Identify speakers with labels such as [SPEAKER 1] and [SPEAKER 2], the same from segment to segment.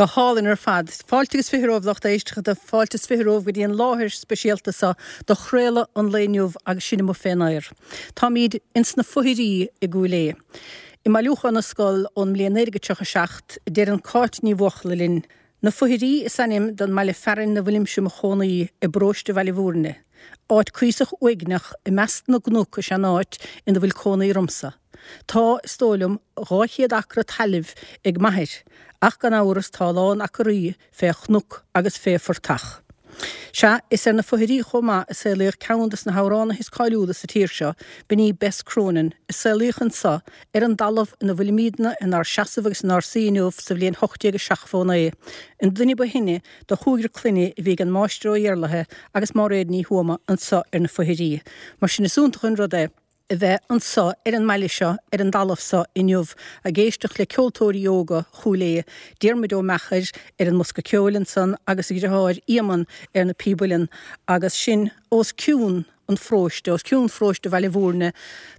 [SPEAKER 1] Go hálainn ar fad. Fáilte agus 20 romhaibh lucht éisteachta, fáilte is 20 romhaibh go dtí an láthair speisialta seo do chraoladh an lae inniu agus sinn amuigh fén aer. Táimíd ins na Fothearaí i gCúil Aodha. I mBailiúchán na Scol ón mbliain 1937, deireann Cáit Ní Bhuachalla linn, Na Fothearaí is ainm don mbaile fearainn 'na bhfuilimse 'mo chónaí i bparóiste Bhaile Bhúirne. Áit cuíosach uaigneach i measc na gcnoc is ea an áit ina bhfuil cónaí ormsa. Tá, is dóigh liom, 200 acra tailimh ag m'athair, ach gan amhras tá a lán acraí fé chnoc agus fé phortach. Sea, is ar na Fothearaí chomh maith a saolaíodh ceann de na hamhránaithe is cáiliúla sa tír seo, b'in í Bess Cronin, a saolaíodh anso ar an dtalamh ina bhfuilimídne inár seasamh agus inár suí inniu sa bhliain 1879, an duine ba shine de chúigear clainne a bhí ag an Máistir Ó Iarlaithe agus Máiréad Ní Thuama anso ar na Fothearaí. Mar sin is iontach an rud é a bheith anso ar an mbaile seo, ar an dtalamh so inniu, ag éisteacht le ceoltóirí óga Chúil Aodha, Diarmuid Ó Meachair ar an mbosca ceoil ansan agus a dhriotháir Éamonn ar na píb uilleann agus sinn os cionn an pharóiste, os cionn pharóiste Bhaile Bhúirne.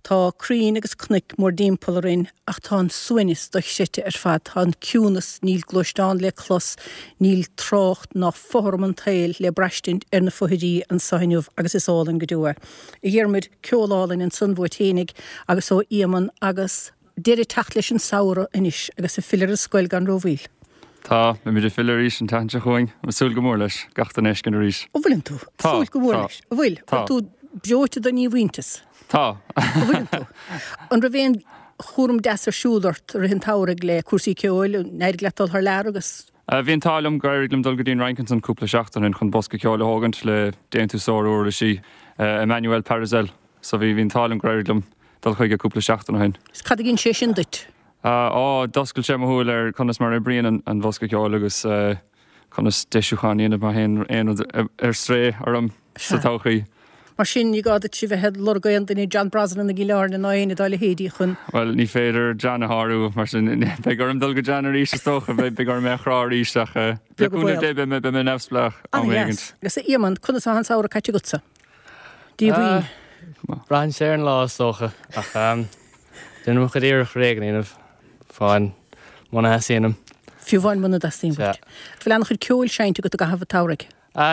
[SPEAKER 1] Tá crainn agus cnoic mórdtimpeall orainn ach tá an suaimhneas dochreidte ar fad, tá an ciúnas, níl gluaisteán le clos, níl trácht ná fothram an tsaoil le braistint ar na Fothearaí anso inniu agus is álainn go deo é. A Dhiarmuid, ceol álainn ansan uait fhéinig agus ó Éamonn agus deireadh ag teacht leis an samhradh anois agus ag filleadh ar an scoil gan rómhoill.
[SPEAKER 2] Tá, beimid ag filleadh arís an tseachtain seo chugainn. Ag súil go mór leis, gach duine a fheiscint arís.
[SPEAKER 1] An bhfuileann tú?
[SPEAKER 2] Tá,
[SPEAKER 1] Súil go mór
[SPEAKER 2] tá,
[SPEAKER 1] leis. An bhfuil?
[SPEAKER 2] tá.
[SPEAKER 1] Bhfuil tú breoite den dhíomhaointeas?
[SPEAKER 2] Tá.
[SPEAKER 1] An bhfuileann tú? An raibh aon chúram deas ar siúl ort i rith an tsamhraidh le cúrsaí ceoil? An éirigh leat dul thar lear agus.
[SPEAKER 2] Bhí an t-ádh liom gur éirigh liom dul go dtí an Fhrainc ansan cúpla seachtain ó shin chun bosca ceoil a thógaint le déantúsóir uirlisí, Emmanuel Pariselle. So bhí, bhí an t-ádh liom gur éirigh liom dul chuige cúpla seachtain ó shin.
[SPEAKER 1] Is cad a dhein sé sin duit?
[SPEAKER 2] Á, d'oscail sé mo shúil ar conas mar a oibríonn an bosca ceoil agus conas deisiúchán a dhéanamh má théann aon rud ar strae orm sa todhchaí.
[SPEAKER 1] Mar sin, ní gá duit a bheith ag lorg aon duine, John Brosnan i gCill Airne ná éinne dá leithéidí chun.
[SPEAKER 2] Bhuel, ní féidir John a shárú, mar sin beidh orm dul go John arís is dócha, beidh orm é a chrá arís ach le cúnamh Dé beidh mé neamhspleách am éigin.
[SPEAKER 1] Ana-dheas. Agus a Éamonn, conas atá an samhradh caite agatsa? Díomhaoin.
[SPEAKER 3] Braitheann sé ar an lá is dócha, ach déanaim mo chuid iarracht réidh a dhéanamh, amháin muna theastaíonn uaim.
[SPEAKER 1] Fiú amháin muna dteastaíonn uait. Bhfuil an-chuid ceoil seinnte agat i gcaitheamh an tsamhraidh?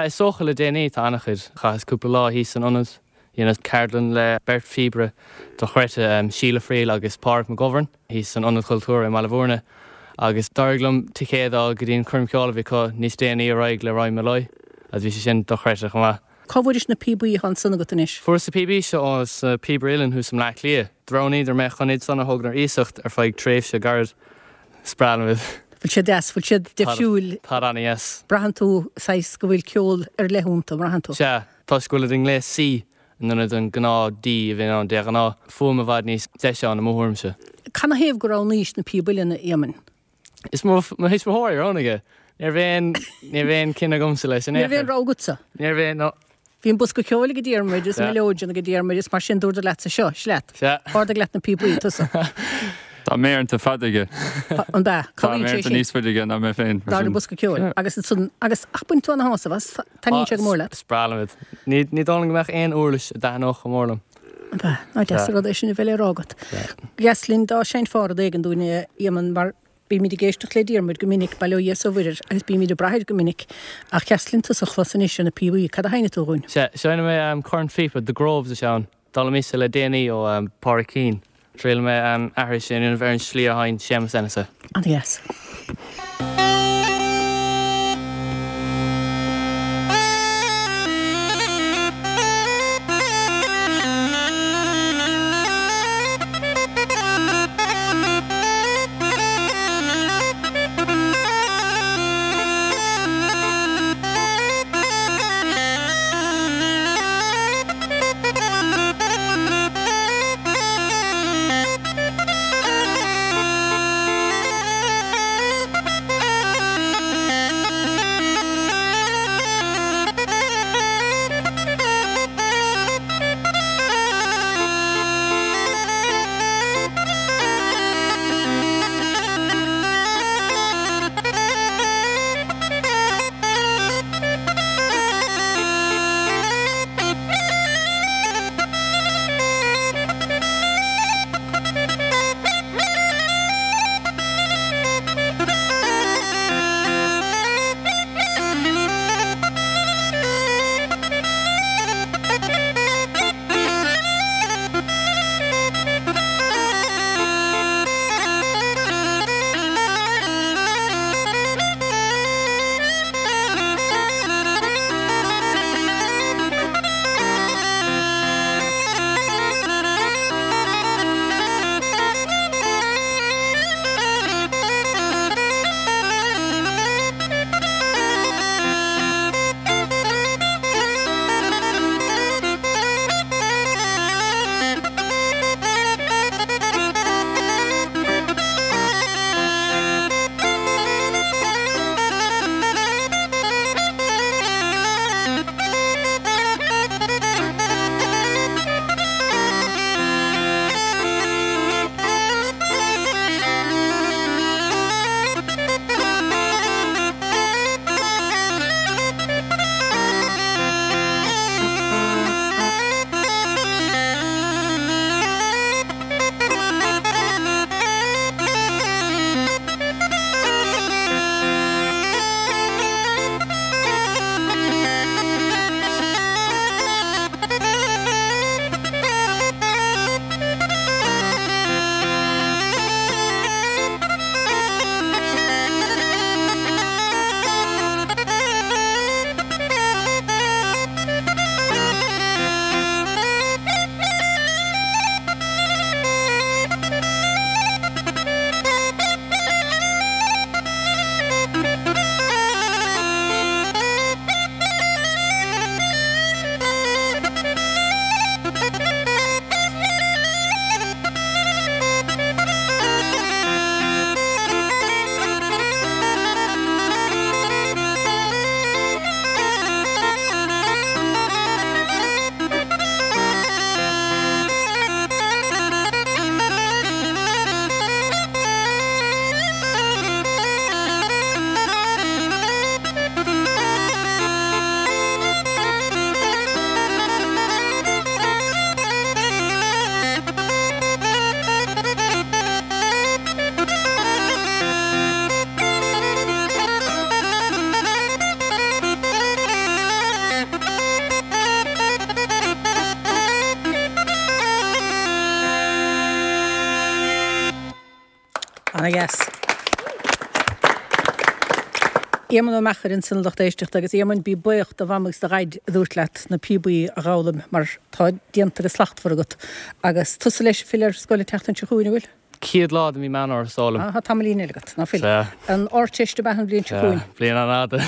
[SPEAKER 3] Is dócha le déanaí tá an-chuid. Chaitheas cúpla lá thíos san ionad. Dheineas ceardlann le beirt phíobaire dochreidte, Síle Friel agus Pádraig McGovern, thíos san Ionad Cultúrtha i mBaile Bhúirne agus d'éirigh liom ticéad a fháil go dtí an coirm cheoil a bhí acu níos déanaí ar aghaidh le Ryan Molloy agus bhí sé sin dochreidte chomh maith.
[SPEAKER 1] Cá bhfuairis na píobaí atá ansan agat anois?
[SPEAKER 3] Fuaireas na píobaí seo ó na Píobairí Uilleann thuas i mBleá Cliath. D'roghnaíodar mé chun iad san a thógaint ar iasacht ar feadh tréimhse gairid. Is breá liom iad.
[SPEAKER 1] Bhfuil siad deas? Bhfuil siad difriúil?
[SPEAKER 3] Táid ana-dheas.
[SPEAKER 1] Braitheann tú saghas go bhfuil ceol ar leith iontu, an mbraitheann tú?
[SPEAKER 3] Sea. Toisc go bhfuilid i ngléas C in ionad an gnáth D a bhíonn ann de ghnáth. Fuaim i bhfad níos deise ann i mo thuairimse.
[SPEAKER 1] Canathaobh go roghnaís na píob uilleann, a Éamainn?
[SPEAKER 3] Is mo thuismitheoirí a roghnaigh é. Ní raibh aon, ní raibh aon cinneadh agamsa leis in
[SPEAKER 1] Ní
[SPEAKER 3] aon
[SPEAKER 1] raibh aon
[SPEAKER 3] chor.
[SPEAKER 1] rogha agatsa?
[SPEAKER 3] Ní raibh aon, no.
[SPEAKER 1] Bhí an bosca ceoil ag Diarmuid is mileoidean ag Diarmuid is mar sin dúradar leatsa seo, seo leat.
[SPEAKER 3] Sea.
[SPEAKER 1] Ardaigh leat na píobaí, tusa.
[SPEAKER 2] Tá méireanta fada aige.
[SPEAKER 1] An b'ea?
[SPEAKER 2] Tá méireanta níos faide aige ná mé féin.
[SPEAKER 1] Ná an bosca ceoil. Agus ansan, agus ach baineann tú ana-shásamh as, taitníonn sé go mór leat.
[SPEAKER 3] Is breá liom iad. Ní, ní dóigh liom go mbeadh aon uirlis a dtaitneodh chomh mór liom.
[SPEAKER 1] An b'ea? Nach deas an rud é sin a bheith le rá agat. Dheas linn dá seinnfeá rud éigin dúinn, a Éamonn, mar bímid ag éisteacht le Diarmuid go minic, bail ó Dhia is ó Mhuire air, agus bímid ag brath air go minic. Ach dheas linn tusa a chlos anois ar na píobaí. Cad a sheinnfidh tú dhúinn?
[SPEAKER 3] Sea, seinnfidh mé cornphíopa, The Groves is ea ann. D'fhoghlaimíos é le déanaí ó Pádraig Keane. Triailfidh mé aithris a dhéanamh ar an slí a sheinn Séamus Ennis é.
[SPEAKER 1] An-dheas. Ana-dheas. Éamonn Ó Meachair ansin a lucht éisteachta agus Éamonn bí buíoch do mham agus do dhaid a dúirt leat na píobaí a dh'fhoghlaim mar tá déanta go slachtmhar agat. Agus tusa leis ag filleadh ar scoil an tseachtain seo chugainn, an bhfuil?
[SPEAKER 3] Chéad lá de mhí Meán Fhómhair is dóigh liom.
[SPEAKER 1] Ah, tá tamaillín eile agat, ná fuil? Sea. An Ardteist ab ea an bhliain seo chugainn?
[SPEAKER 3] Sea, bliain an-fhada.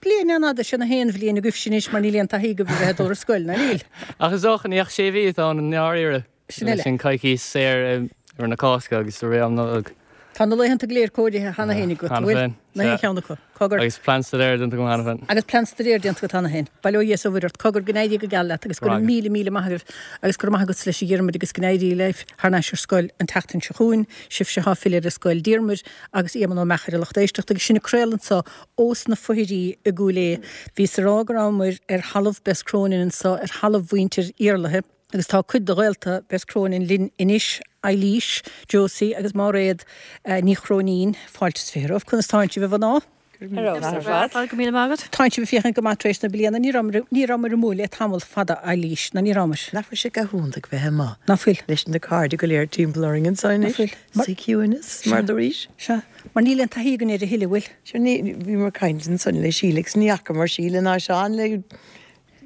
[SPEAKER 1] Bliain an-fhada, sin a haon bhliain agaibhse anois mar níl aon taithí agaibh a bheith ag dul ar scoil, ná níl?
[SPEAKER 3] Ach is dócha ní ach sé mhí atá ann i ndáiríre.
[SPEAKER 1] Sin eile.
[SPEAKER 3] Sin coicís saor i rith na Cásca agus i rith am Nollag.
[SPEAKER 1] Tá na laethanta go léir cóirithe cheana féin agat, an
[SPEAKER 3] bhfuil? Cheana féin.
[SPEAKER 1] Na haon cheann acu. Cogar.
[SPEAKER 3] Agus plean staidéir déanta agam cheana féin.
[SPEAKER 1] Agus plean staidéir déanta agat cheana féin. Bail ó Dhia is ó Mhuire ort. Cogar, go n-éirí go geal leat agus go raibh míle míle maith agaibh agus go raibh maith agatsa leis a Dhiarmuid agus go n-éirí libh thar n-ais ar scoil an tseachtain seo chugainn, sibhse atá ag filleadh ar scoil Diarmuid agus Éamonn Ó Meachair a lucht éisteachta agus sinn ag craoladh anso ós na Foithearaí i gCúil Aodha. Bhíos ag rá go rabhamar ar thalamh Bess Cronin anso, ar thalamh mhuintir Iarlaithe. Agus tá cuid de ghaolta Bess Cronin linn anois, Eilís, Josie agus Máiréad Ní Chróinín. Fáilte is 20 romhaibh. Conas tánn sibh, a mhná?
[SPEAKER 4] Ar fheabhas ar fad. Go raibh míle maith agat.
[SPEAKER 1] Tánn sibh ag féachaint go maith tar éis na bliana. Ní rabhamar, ní rabhamar amuigh le tamall fada, Eilís, ná ní rabhamar.
[SPEAKER 5] Nach bhfuil sé go hiontach bheith amuigh?
[SPEAKER 1] Ná fuil.
[SPEAKER 5] Leis na cairde go léir timpeall orainn anso anois.
[SPEAKER 1] Ná fuil.
[SPEAKER 5] Sa chiúineas, mar dúraís.
[SPEAKER 1] Sea. Mar níl aon taithí againn air a thuilleadh, bhfuil?
[SPEAKER 5] Sure, ní, bhíomar ag caint ansan le Síle agus ní fhacamar Síle ná Seán le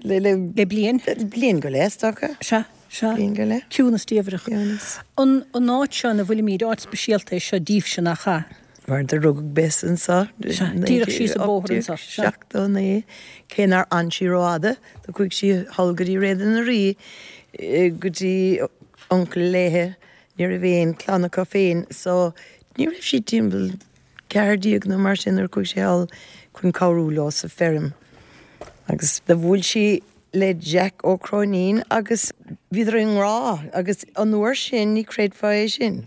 [SPEAKER 1] Le le. Le bliain.
[SPEAKER 5] Bliain go leith, is dócha.
[SPEAKER 1] Sea, sea.
[SPEAKER 5] Bliain go leith.
[SPEAKER 1] Ciúnas diamhrach.
[SPEAKER 5] Ciúnas.
[SPEAKER 1] An, an áit seo ina bhfuilimid, áit speisialta é seo daoibhse, nach ea?
[SPEAKER 5] Mar do rugadh Bess anso.
[SPEAKER 1] Sea, díreach síos an bóthar anso.
[SPEAKER 5] Sea. 1879, cé nár fhan sí rófhada, do chuaigh sí thall go dtí Réada na Rí, go dtí uncail léithe, ní raibh aon chlann acu féin, so ní raibh sí timpeall 14 nó mar sin nuair a chuaigh sí thall chun cabhrú leo sa feirm agus do bhuail sí le Jack Ó Cróinín agus bhíodar i ngrá agus an uair sin ní chreidfeá é sin.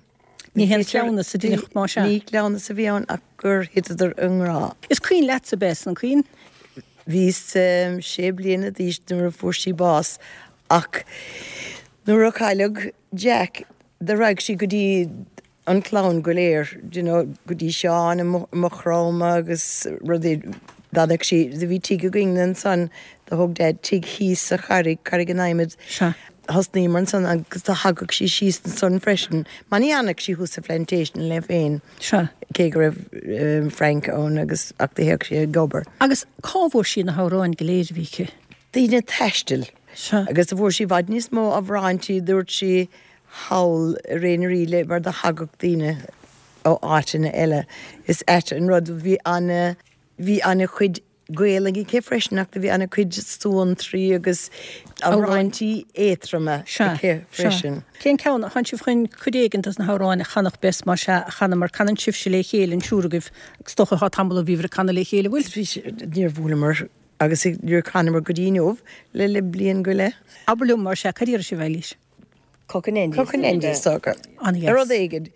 [SPEAKER 1] Ní haon chleamhnas a deineadh más ea.
[SPEAKER 5] Ní cleamhnas a bhí ann ach gur thiteadar i ngrá.
[SPEAKER 1] Is cuimhin leatsa Bess, an cuimhin?
[SPEAKER 5] Bhíos sé bliana d'aois nuair a fuair sí bás ach nuair a cailleadh Jack do raghaidh sí go dtí an chlann go léir, do you know, go dtí Seán i Maigh Chromtha agus rudaí, d'fhanadh sí, do bhí tigh againn ansan, do thóg Dad tigh thíos sa Charraig, Carraig an Adhmaid,
[SPEAKER 1] Sea.
[SPEAKER 5] thosnaíomar ansan agus do thagadh sí síos ansan freisin, mar ní fhanadh sí thuas sa Phlantation léi féin,
[SPEAKER 1] Sea.
[SPEAKER 5] cé go raibh Frank ann agus, ach do théadh sí ag obair.
[SPEAKER 1] Agus cá bhfuair sí na hamhráin go léir a bhí aici?
[SPEAKER 5] Daoine taistil.
[SPEAKER 1] Sea.
[SPEAKER 5] Agus do fuair sí i bhfad níos mó amhráintí, dúirt sí, thall i Ré na Rí le mar do thagadh daoine ó áiteanna eile. Is ait an rud, bhí ana, bhí ana chuid Gaelainn aici freisin ach do bhí ana chuid suantraí agus amhráintí éadtroma aici freisin.
[SPEAKER 1] Cén ceann, tánn sibh chun cuid éigin dos na hamhráin a chanfadh Bess más ea a chanadh mar canann sibhse le chéile an triúr agaibh agus is dócha tá tamall ó bhíobhair ag canadh le chéile, bhfuil?
[SPEAKER 5] Bhí, níor bhuaileamar agus níor chanamar go dtí inniu le le bliain go leith.
[SPEAKER 1] Abair liom más ea, cad iarrfaidh sibh, Eilís?
[SPEAKER 4] Cockanendi.
[SPEAKER 5] Cockanendi, is dócha.
[SPEAKER 1] An-dheas.
[SPEAKER 5] Rud éigin.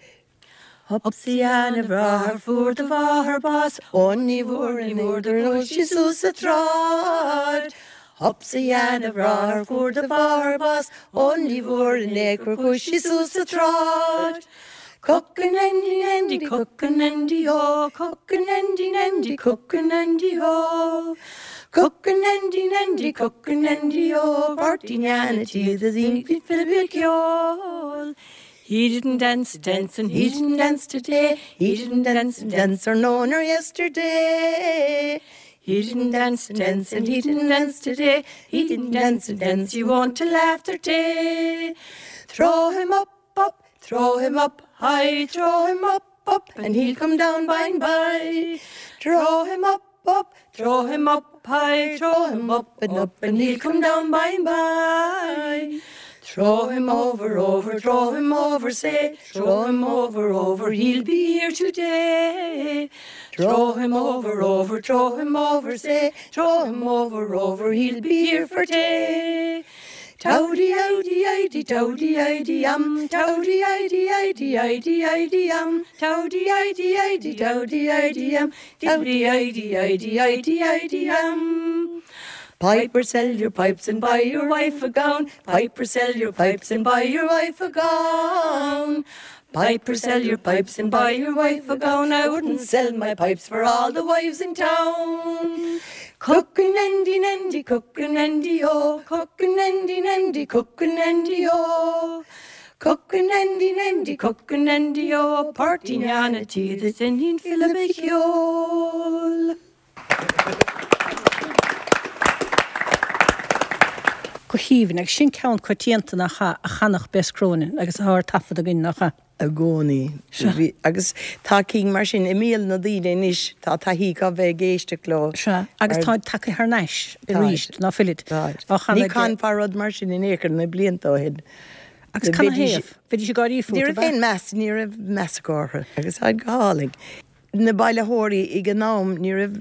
[SPEAKER 4] Hopsa a dhean a bhráthair fuair do mháthair bás Ó ní bhfuair ní bhfuair do chuaigh sí suas sa tsráid Hopsa a dhean a bhráthair fuair do mháthair bás Ó ní bhfuair in aon chor chuaigh sí suas sa tsráid Cockanendi nendi cockanendi ho Cockanendi nendi cockanendi ho Cockanendi nendi cockanendi ho Páirtí neana tí the dhin Philip Ceoil He didn't dance, dance, and he didn't dance today. He didn't dance, dance, or no, nor yesterday. He didn't dance, dance, and he didn't dance today. He didn't dance, dance, you want to laugh day. Throw him up, up, throw him up high, throw him up, up, and he'll come down by and by. Throw him up, up, throw him up high, throw him up and up, and he'll come down by and by. Throw him over, over, throw him over, say, throw him over, over, he'll be here today. Throw him over, over, throw him over, say, throw him over, over, he'll be here for day. Towdy, owdy, idy, towdy, idy, um, towdy, idy, idy, idy, idy, um, towdy, idy, idy, towdy, idy, um, towdy, idy, idy, idy, idy, um. Piper, sell your pipes and buy your wife a gown. Piper, sell your pipes and buy your wife a gown. Piper, sell your pipes and buy your wife a gown. I wouldn't sell my pipes for all the wives in town. Cookin' andy cookin' andy oh, cookin' andy andy, cookin' andy oh. Cockanandy nandy cockanandy ó, Páirtín Sheáin a' tí is iníon Philib a cheol.
[SPEAKER 1] Go haoibhinn, agus sin ceann coitianta nach ea, a chanfadh Bess Cronin agus atá ar taifead againn, nach ea?
[SPEAKER 5] i gcónaí. Sea. Agus tá cinn mar sin i mbéal na daoine anois, tá taithí acu bheith ag éisteacht leo.
[SPEAKER 1] Sea, agus táid tagtha thar n-ais arís, ná fuilid?
[SPEAKER 5] Táid. Ní chanfá rud mar sin in aon chor na blianta ó shin.
[SPEAKER 1] Agus canathaobh? Bheidís ag gáirí fút,
[SPEAKER 5] Ní raibh aon meas, ní raibh meas acu orthu. Agus táid go hálainn. Na bailitheoirí ag an am, ní raibh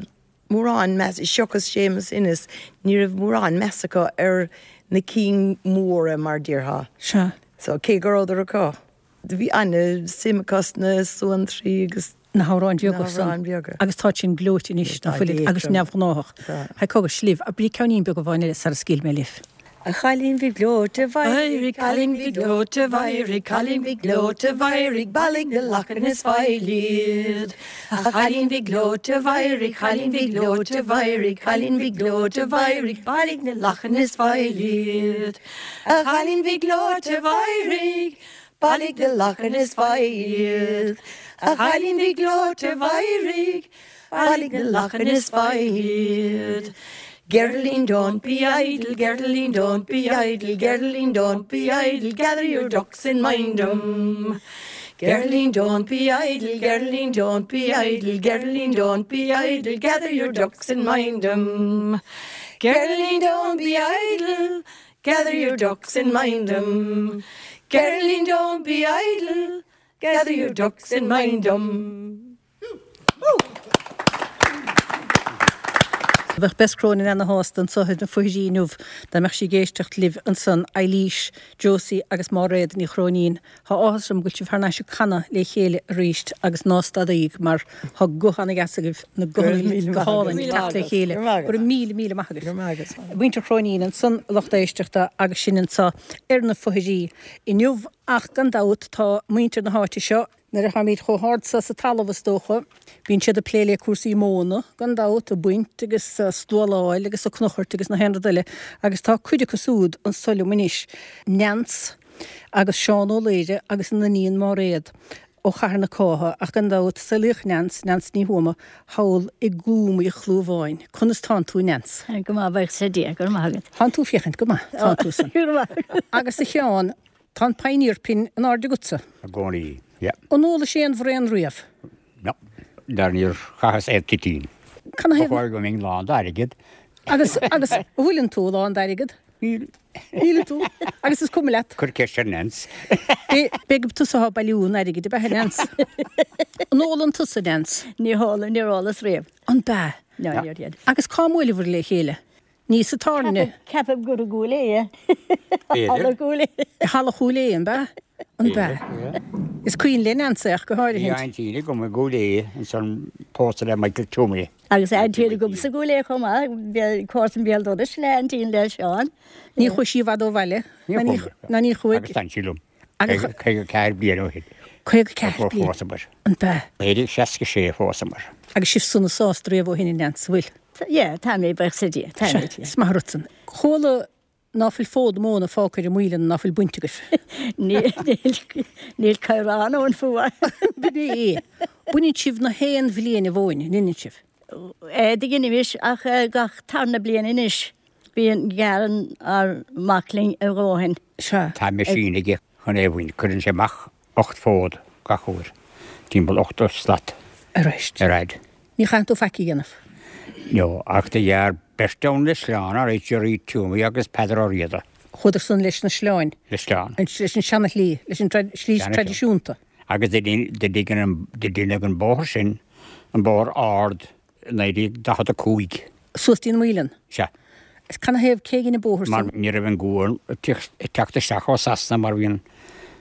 [SPEAKER 5] mórán meas, seachas Séamus Ennis, ní raibh mórán meas acu ar na cinn mhóra mar déarfá.
[SPEAKER 1] Sea.
[SPEAKER 5] So, cé go rabhadar acu, bhí an-suim acu sna suantraí agus.
[SPEAKER 1] Na hamhráin bheaga san. Na hamhráin
[SPEAKER 5] bheaga.
[SPEAKER 1] Agus táid sin gleoite anois, ná fuilid, agus neamhghnáthach.
[SPEAKER 5] Tá.
[SPEAKER 1] Haigh cogar, libh, abraigí ceainnín beag amháin eile sara scaoilfidh mé libh.
[SPEAKER 4] A chailín bhig ghleoite mheidhreach, cailín bhig ghleoite mheidhreach, cailín bhig ghleoite mheidhreach, bailigh na lachain is faill iad. A chailín bhig ghleoite mheidhreach, cailín bhig ghleoite mheidhreach, cailín bhig ghleoite mheidhreach, bailigh na lachain is faill iad. A chailín bhig ghleoite mheidhreach, bailigh na lachain is faill iad. A chailín bhig ghleoite mheidhreach, Bailigh na lachain is faill iad. Geraldine don't be idle, Geraldine don't be idle, Geraldine don't be idle, gather your ducks and mind 'em. Geraldine don't be idle, Geraldine don't be idle, Geraldine don't be idle, gather your ducks and mind 'em. Geraldine don't be idle, gather your ducks and mind 'em. Geraldine don't be idle, gather your ducks and mind 'em.
[SPEAKER 1] Bheadh Bess Cronin ana-shásta anso ar na foithrí inniu dá mbeadh sí ag éisteacht libh ansan, Eilís, Josie agus Máiréad Ní Chróinín. Tá áthas orm go bhfuil sibh thar n-ais ag canadh le chéile arís agus ná stadaíg mar tá guth ana-dheas agaibh, na guthanna go hálainn ag teacht le chéile. Go raibh míle, míle maith agaibh. Muintir Chróinín ansan, a lucht éisteachta, agus sinn anso ar na foithrí inniu ach gan dabht tá muintir na háite seo, Nuair a tháimid chomh hard so sa talamh, is dócha, bíonn siad ag plé le cúrsaí móna, gan dabht, ag baint agus ag stualáil agus ag cnuchairt agus na haon rud eile, agus tá cuid acu súd anso liom anois, Neans agus Seán Ó Laoire agus a n-iníon Máiréad ó Chathair na Cátha, ach gan dabht, saolaíodh Neans, Neans Ní Thuama, thall i gCúm Uí Chlúmháin. Conas tánn tú, Neans?
[SPEAKER 6] Go maith, buíochas le Dia, go raibh maith agat.
[SPEAKER 1] Tánn tú féachaint go maith, tánn tú san.
[SPEAKER 6] Go raibh maith agat.
[SPEAKER 1] Agus a Sheáin, Tá an pioneer pin in airde agatsa.
[SPEAKER 7] I gcónaí, yeah.
[SPEAKER 1] An ólais aon bhraon riamh?
[SPEAKER 7] No. Dar níor chaitheas aon toitín.
[SPEAKER 1] Canathaobh?
[SPEAKER 7] Ba chóir go mbeinn lán d'airgead.
[SPEAKER 1] Agus, agus, an bhfuileann tú lán d'airgead?
[SPEAKER 7] Níl.
[SPEAKER 1] Níleann tú? Agus is cuma leat?
[SPEAKER 7] Cuir ceist ar Nance.
[SPEAKER 1] B'fhéidir gurb tusa atá ag bailiú an airgid, ab ea, a Nance? An ólann tusa, Nance?
[SPEAKER 6] Ní hólaim, níor ólas riamh.
[SPEAKER 1] An b'ea?
[SPEAKER 6] No, níor dhein.
[SPEAKER 1] Agus cá mbuaileabhair le chéile? Ní sa tábhairne.
[SPEAKER 6] Ceapaim gur i gCúil Aodha. Halla Chúil Aodha.
[SPEAKER 1] I Halla Chúil Aodha, an b'ea? An b'ea? Is cuimhin le Neans é ach go
[SPEAKER 7] háirithint. Bhí aintín agam i gCúil Aodha ansan pósta le Michael Twomey.
[SPEAKER 6] Agus aintín agamsa i gCúil Aodha chomh maith, comharsan béal dorais le aintín le Seán.
[SPEAKER 1] Ní chuaigh sí i bhfad ó bhaile.
[SPEAKER 7] Ní chuaigh.
[SPEAKER 1] Ná ní chuaigh.
[SPEAKER 7] Agus d'fhan sí liom. 54 bliain ó shin.
[SPEAKER 1] 54 bliain.
[SPEAKER 7] Phósamar.
[SPEAKER 1] An b'ea?
[SPEAKER 7] 1966 a phósamar.
[SPEAKER 1] Agus sibh sona sásta riamh ó shin, a Neans, an bhfuil?
[SPEAKER 6] Yeah, tá mé, buíochas le Dia, tá mé.
[SPEAKER 1] Sea, is maith an rud san. Chuala ná fuil fód móna fágtha ar an muileann ná fuil bainte agaibh.
[SPEAKER 6] Níl, níl caorán ann fiú.
[SPEAKER 1] B'in é. Baineann sibh na haon bhliain an mhóin, an ndeineann sibh?
[SPEAKER 6] Eh, do dheinimís, ach gach tarna bliain anois, bíonn, gearrann ár mac linn a dhóthain.
[SPEAKER 1] Sea.
[SPEAKER 7] Tá meaisín aige chun é a bhaint, cuireann sé amach 8 fód gach uair, timpeall 80 slat
[SPEAKER 1] ar fhad. Ní chaitheann tú faic a dhéanamh.
[SPEAKER 7] No, ach do ghearr beirt ann le sleán, alright, Gerry Twomey agus Peadar Ó Riada.
[SPEAKER 1] Chuadar san leis na sleáin.
[SPEAKER 7] Le sleán.
[SPEAKER 1] Leis an seana-shlí, leis an slí traidisiúnta.
[SPEAKER 7] Agus do deineadh an bóthar sin, an bóthar ard, 1945.
[SPEAKER 1] Suas dtí an muileann?
[SPEAKER 7] Sea.
[SPEAKER 1] Is canathaobh cé dhein an bóthar
[SPEAKER 7] san? Mar ní raibh an gual ag teacht isteach ó Sasana mar bhí an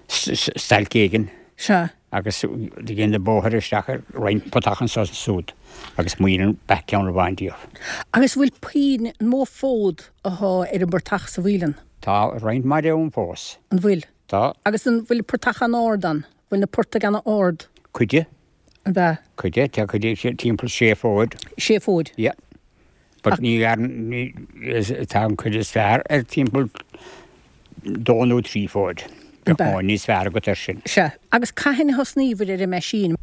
[SPEAKER 7] stailc éigin.
[SPEAKER 1] Sea.
[SPEAKER 7] Agus do deineadh bóthar isteach ar roinnt portach anso is ansúd agus muileann ba ea ceann amháin díobh.
[SPEAKER 1] Agus an bhfuil puinn, an mó fód athá ar an bportach sa mhuileann?
[SPEAKER 7] Tá roinnt mhaith de ann fós.
[SPEAKER 1] An bhfuil?
[SPEAKER 7] Tá.
[SPEAKER 1] Agus an bhfuil portach an-ard ann? Bhfuil na portaigh an-ard?
[SPEAKER 7] Cuid de.
[SPEAKER 1] An b'ea?
[SPEAKER 7] Cuid de, tá cuid de timpeall sé fóid.
[SPEAKER 1] Sé fóid?
[SPEAKER 7] Yeah. But ní ghearrann, tá an cuid is fearr ar timpeall dó nó trí fóid. Bheadh móin níos fearr agat air sin.
[SPEAKER 1] Sea. Agus cathain a thosnaíobhair ar an meaisín?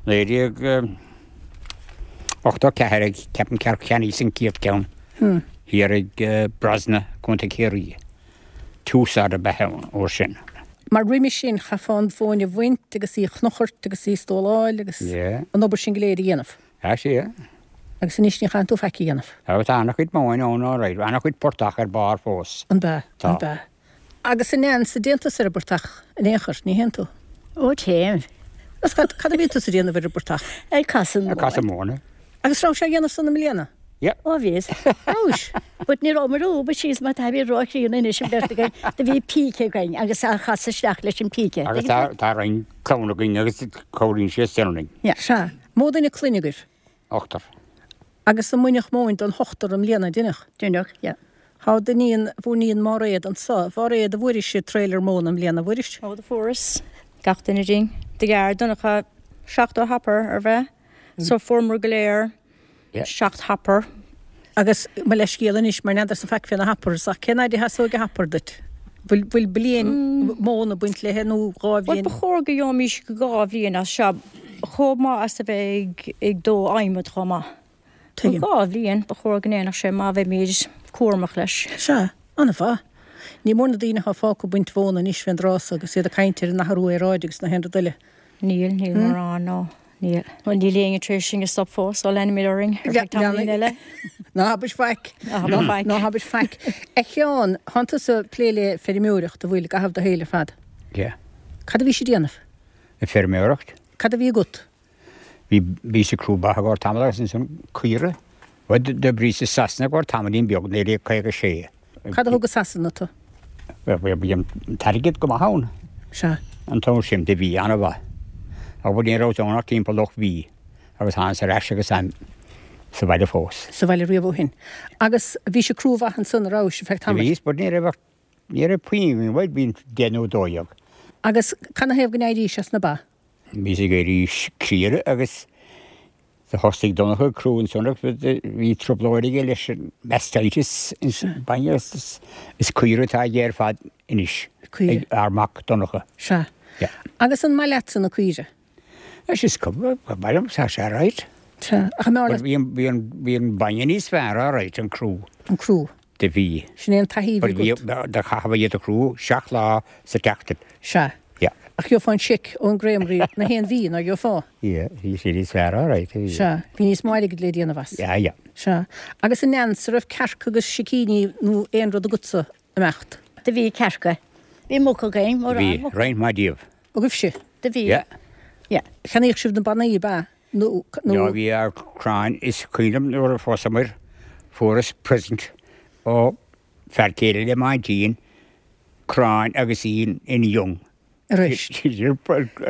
[SPEAKER 7] 1984 ag ceapaim ceart cheannaíos an chéad ceann thiar ag Brosna, Contae Chiarraí. Tousard ab ea an uair sin.
[SPEAKER 1] Mar roimis sin chaithfeá an mhóin a bhaint agus í a chnochairt agus í a stóláil agus an obair sin go léir a dhéanamh.
[SPEAKER 7] Sea, sea.
[SPEAKER 1] Agus anois ní chaitheann tú faic a dhéanamh.
[SPEAKER 7] Tá an-chuid móin ann alright, an-chuid portach ar barr fós.
[SPEAKER 1] An b'ea? Tá. An b'ea? Agus a Neans, an dtéann tusa ar an bportach in aon chor, ní théann tú?
[SPEAKER 6] Ó téim.
[SPEAKER 1] Agus cad, cad a bhíonn tusa a déanamh ar an bportach?
[SPEAKER 6] Ag casadh
[SPEAKER 7] Ag casadh móna.
[SPEAKER 1] Agus rabhais á dhéanamh san i mbliana?
[SPEAKER 7] Yeah.
[SPEAKER 6] Ó bhíos.
[SPEAKER 1] Rabhais?
[SPEAKER 6] But ní rabhamar ó, but síos mar tá bhí róchríonna anois an bheirt againn, do bhí píce againn agus á chasadh isteach leis an píce.
[SPEAKER 7] Agus tá, tá roinnt clann againn agus cabhraíonn siad sin linn.
[SPEAKER 6] Yeah.
[SPEAKER 1] Sea. Mó duine clainne agaibh?
[SPEAKER 7] Ochtar.
[SPEAKER 1] Agus an mbaineadh móin don ochtar i mbliana, an ndeineadh?
[SPEAKER 6] Deineadh, yeah.
[SPEAKER 1] Tá d'iníon, bhur n-iníon Máiréad anso. A Mháiréad, an bhfuairis trailer móna i mbliana, an bhfuairis?
[SPEAKER 8] Ó, do fuaireas. Gach duine dínn. Do ghearr Donncha 70 hopper, arbh ea? So fuaireamar go léir 7 hopper.
[SPEAKER 1] Agus mo leithscéal anois, mar n'fheadarsa faic fé na hoppers, ach cén fhaid a sheasóidh hopper duit? Bhfuil, bhfuil bliain móna ag baint léithe nó
[SPEAKER 8] dhá Bhuel, bhliain? ba chóir go gheobhaimis dhá bhliain as seo, chomh maith as a bheith ag, ag dó adhmad chomh maith.
[SPEAKER 1] Tuigim.
[SPEAKER 8] Dhá bhliain, ba chóir go ndéanfadh sé má bheimid cúramach leis.
[SPEAKER 1] Sea, an-mhaith. Ní mór na daoine atá fágtha ag baint mhóna anois fén dtráth so agus iad ag caint ar an athrú aeráide agus na haon rud eile.
[SPEAKER 8] Níl, níl mórán, no. Níl. Bhuel, níl éinne tar éis sinn a stop fós, so leanfaimid orainn ar feadh tamaillín eile.
[SPEAKER 1] Ná habair faic.
[SPEAKER 8] Ná habair faic.
[SPEAKER 1] Ná habair faic. A Sheáin, thánn tusa ag plé le feirmeoireacht, an bhfuil, i gcaitheamh do shaoil ar fad?
[SPEAKER 7] Yeah.
[SPEAKER 1] Cad a bhís ag déanamh?
[SPEAKER 7] Ag feirmeoireacht.
[SPEAKER 1] Cad a bhí agat?
[SPEAKER 7] Bhí, bhíos ag crú ba i gcomhair tamall agus ansan caora. Bhuel, d'oibríos i Sasana i gcomhair tamaillín beag, 1956.
[SPEAKER 1] Cad a thug go Sasana tú?
[SPEAKER 7] Bhuel, bhí an t-airgead go maith ann.
[SPEAKER 1] Sea.
[SPEAKER 7] An t-am sin, do bhí, an-mhaith. Ach bhuel, ní rabhas ann ach timpeall ocht mhí agus thánas ar ais agus táim sa bhaile fós.
[SPEAKER 1] Sa bhaile riamh ó shin. Agus bhís ag crú mhaith ansan, a rabhais, ar feadh tamaill?
[SPEAKER 7] Bhíos, but ní raibh ach, ní raibh puinn againn, bhuel, bhí 10 nó 12.
[SPEAKER 1] Agus canathaobh go n-éirís as na ba?
[SPEAKER 7] Bhíos ag éirí criara agus Do thosaigh Donncha ag crú ansan agus bhí trioblóid aige leis an mastitis ins an bainne agus is caoire atá aige ar fad anois
[SPEAKER 1] ag
[SPEAKER 7] ár mac Donncha.
[SPEAKER 1] Sea. Agus an maith leatsa na caoire?
[SPEAKER 7] Anois is cuma, ba mhaith liom, tá sé alright.
[SPEAKER 1] Sea. Ach an mb'fhearr leat?
[SPEAKER 7] Bhí an, bhí an bainne níos fearr alright, an crú.
[SPEAKER 1] An crú.
[SPEAKER 7] Do bhí.
[SPEAKER 1] Sin é an taithí a bhí agat.
[SPEAKER 7] Do chaithfeá iad a chrú seacht lá sa tseachtain.
[SPEAKER 1] Sea.
[SPEAKER 7] Yeah.
[SPEAKER 1] Ach gheofá an seic ón gcreamery na haon mhí, nár gheofá?
[SPEAKER 7] Yeah, bhí sé níos fearr alright, bhí.
[SPEAKER 1] Sea. Bhí níos mó airgid le déanamh as.
[SPEAKER 7] Yeah, yeah.
[SPEAKER 1] Sea. Agus a Neans, an raibh cearca agus sicíní nó aon rud agatsa imeacht?
[SPEAKER 6] Do bhí cearca. Bhí muca againn, mórán
[SPEAKER 7] Bhí,
[SPEAKER 6] muca.
[SPEAKER 7] roinnt maith díobh.
[SPEAKER 1] Agaibhse?
[SPEAKER 6] Do bhí.
[SPEAKER 7] Yeah.
[SPEAKER 6] Yeah.
[SPEAKER 1] Cheannaíodh sibh na bannaí, ab ea? Nó, nó.
[SPEAKER 7] Yeah, bhí ár crann is cuimhin liom nuair a phósamar fuaireas present ó fear céile le m'aintín, crann agus í in young.
[SPEAKER 1] Arís.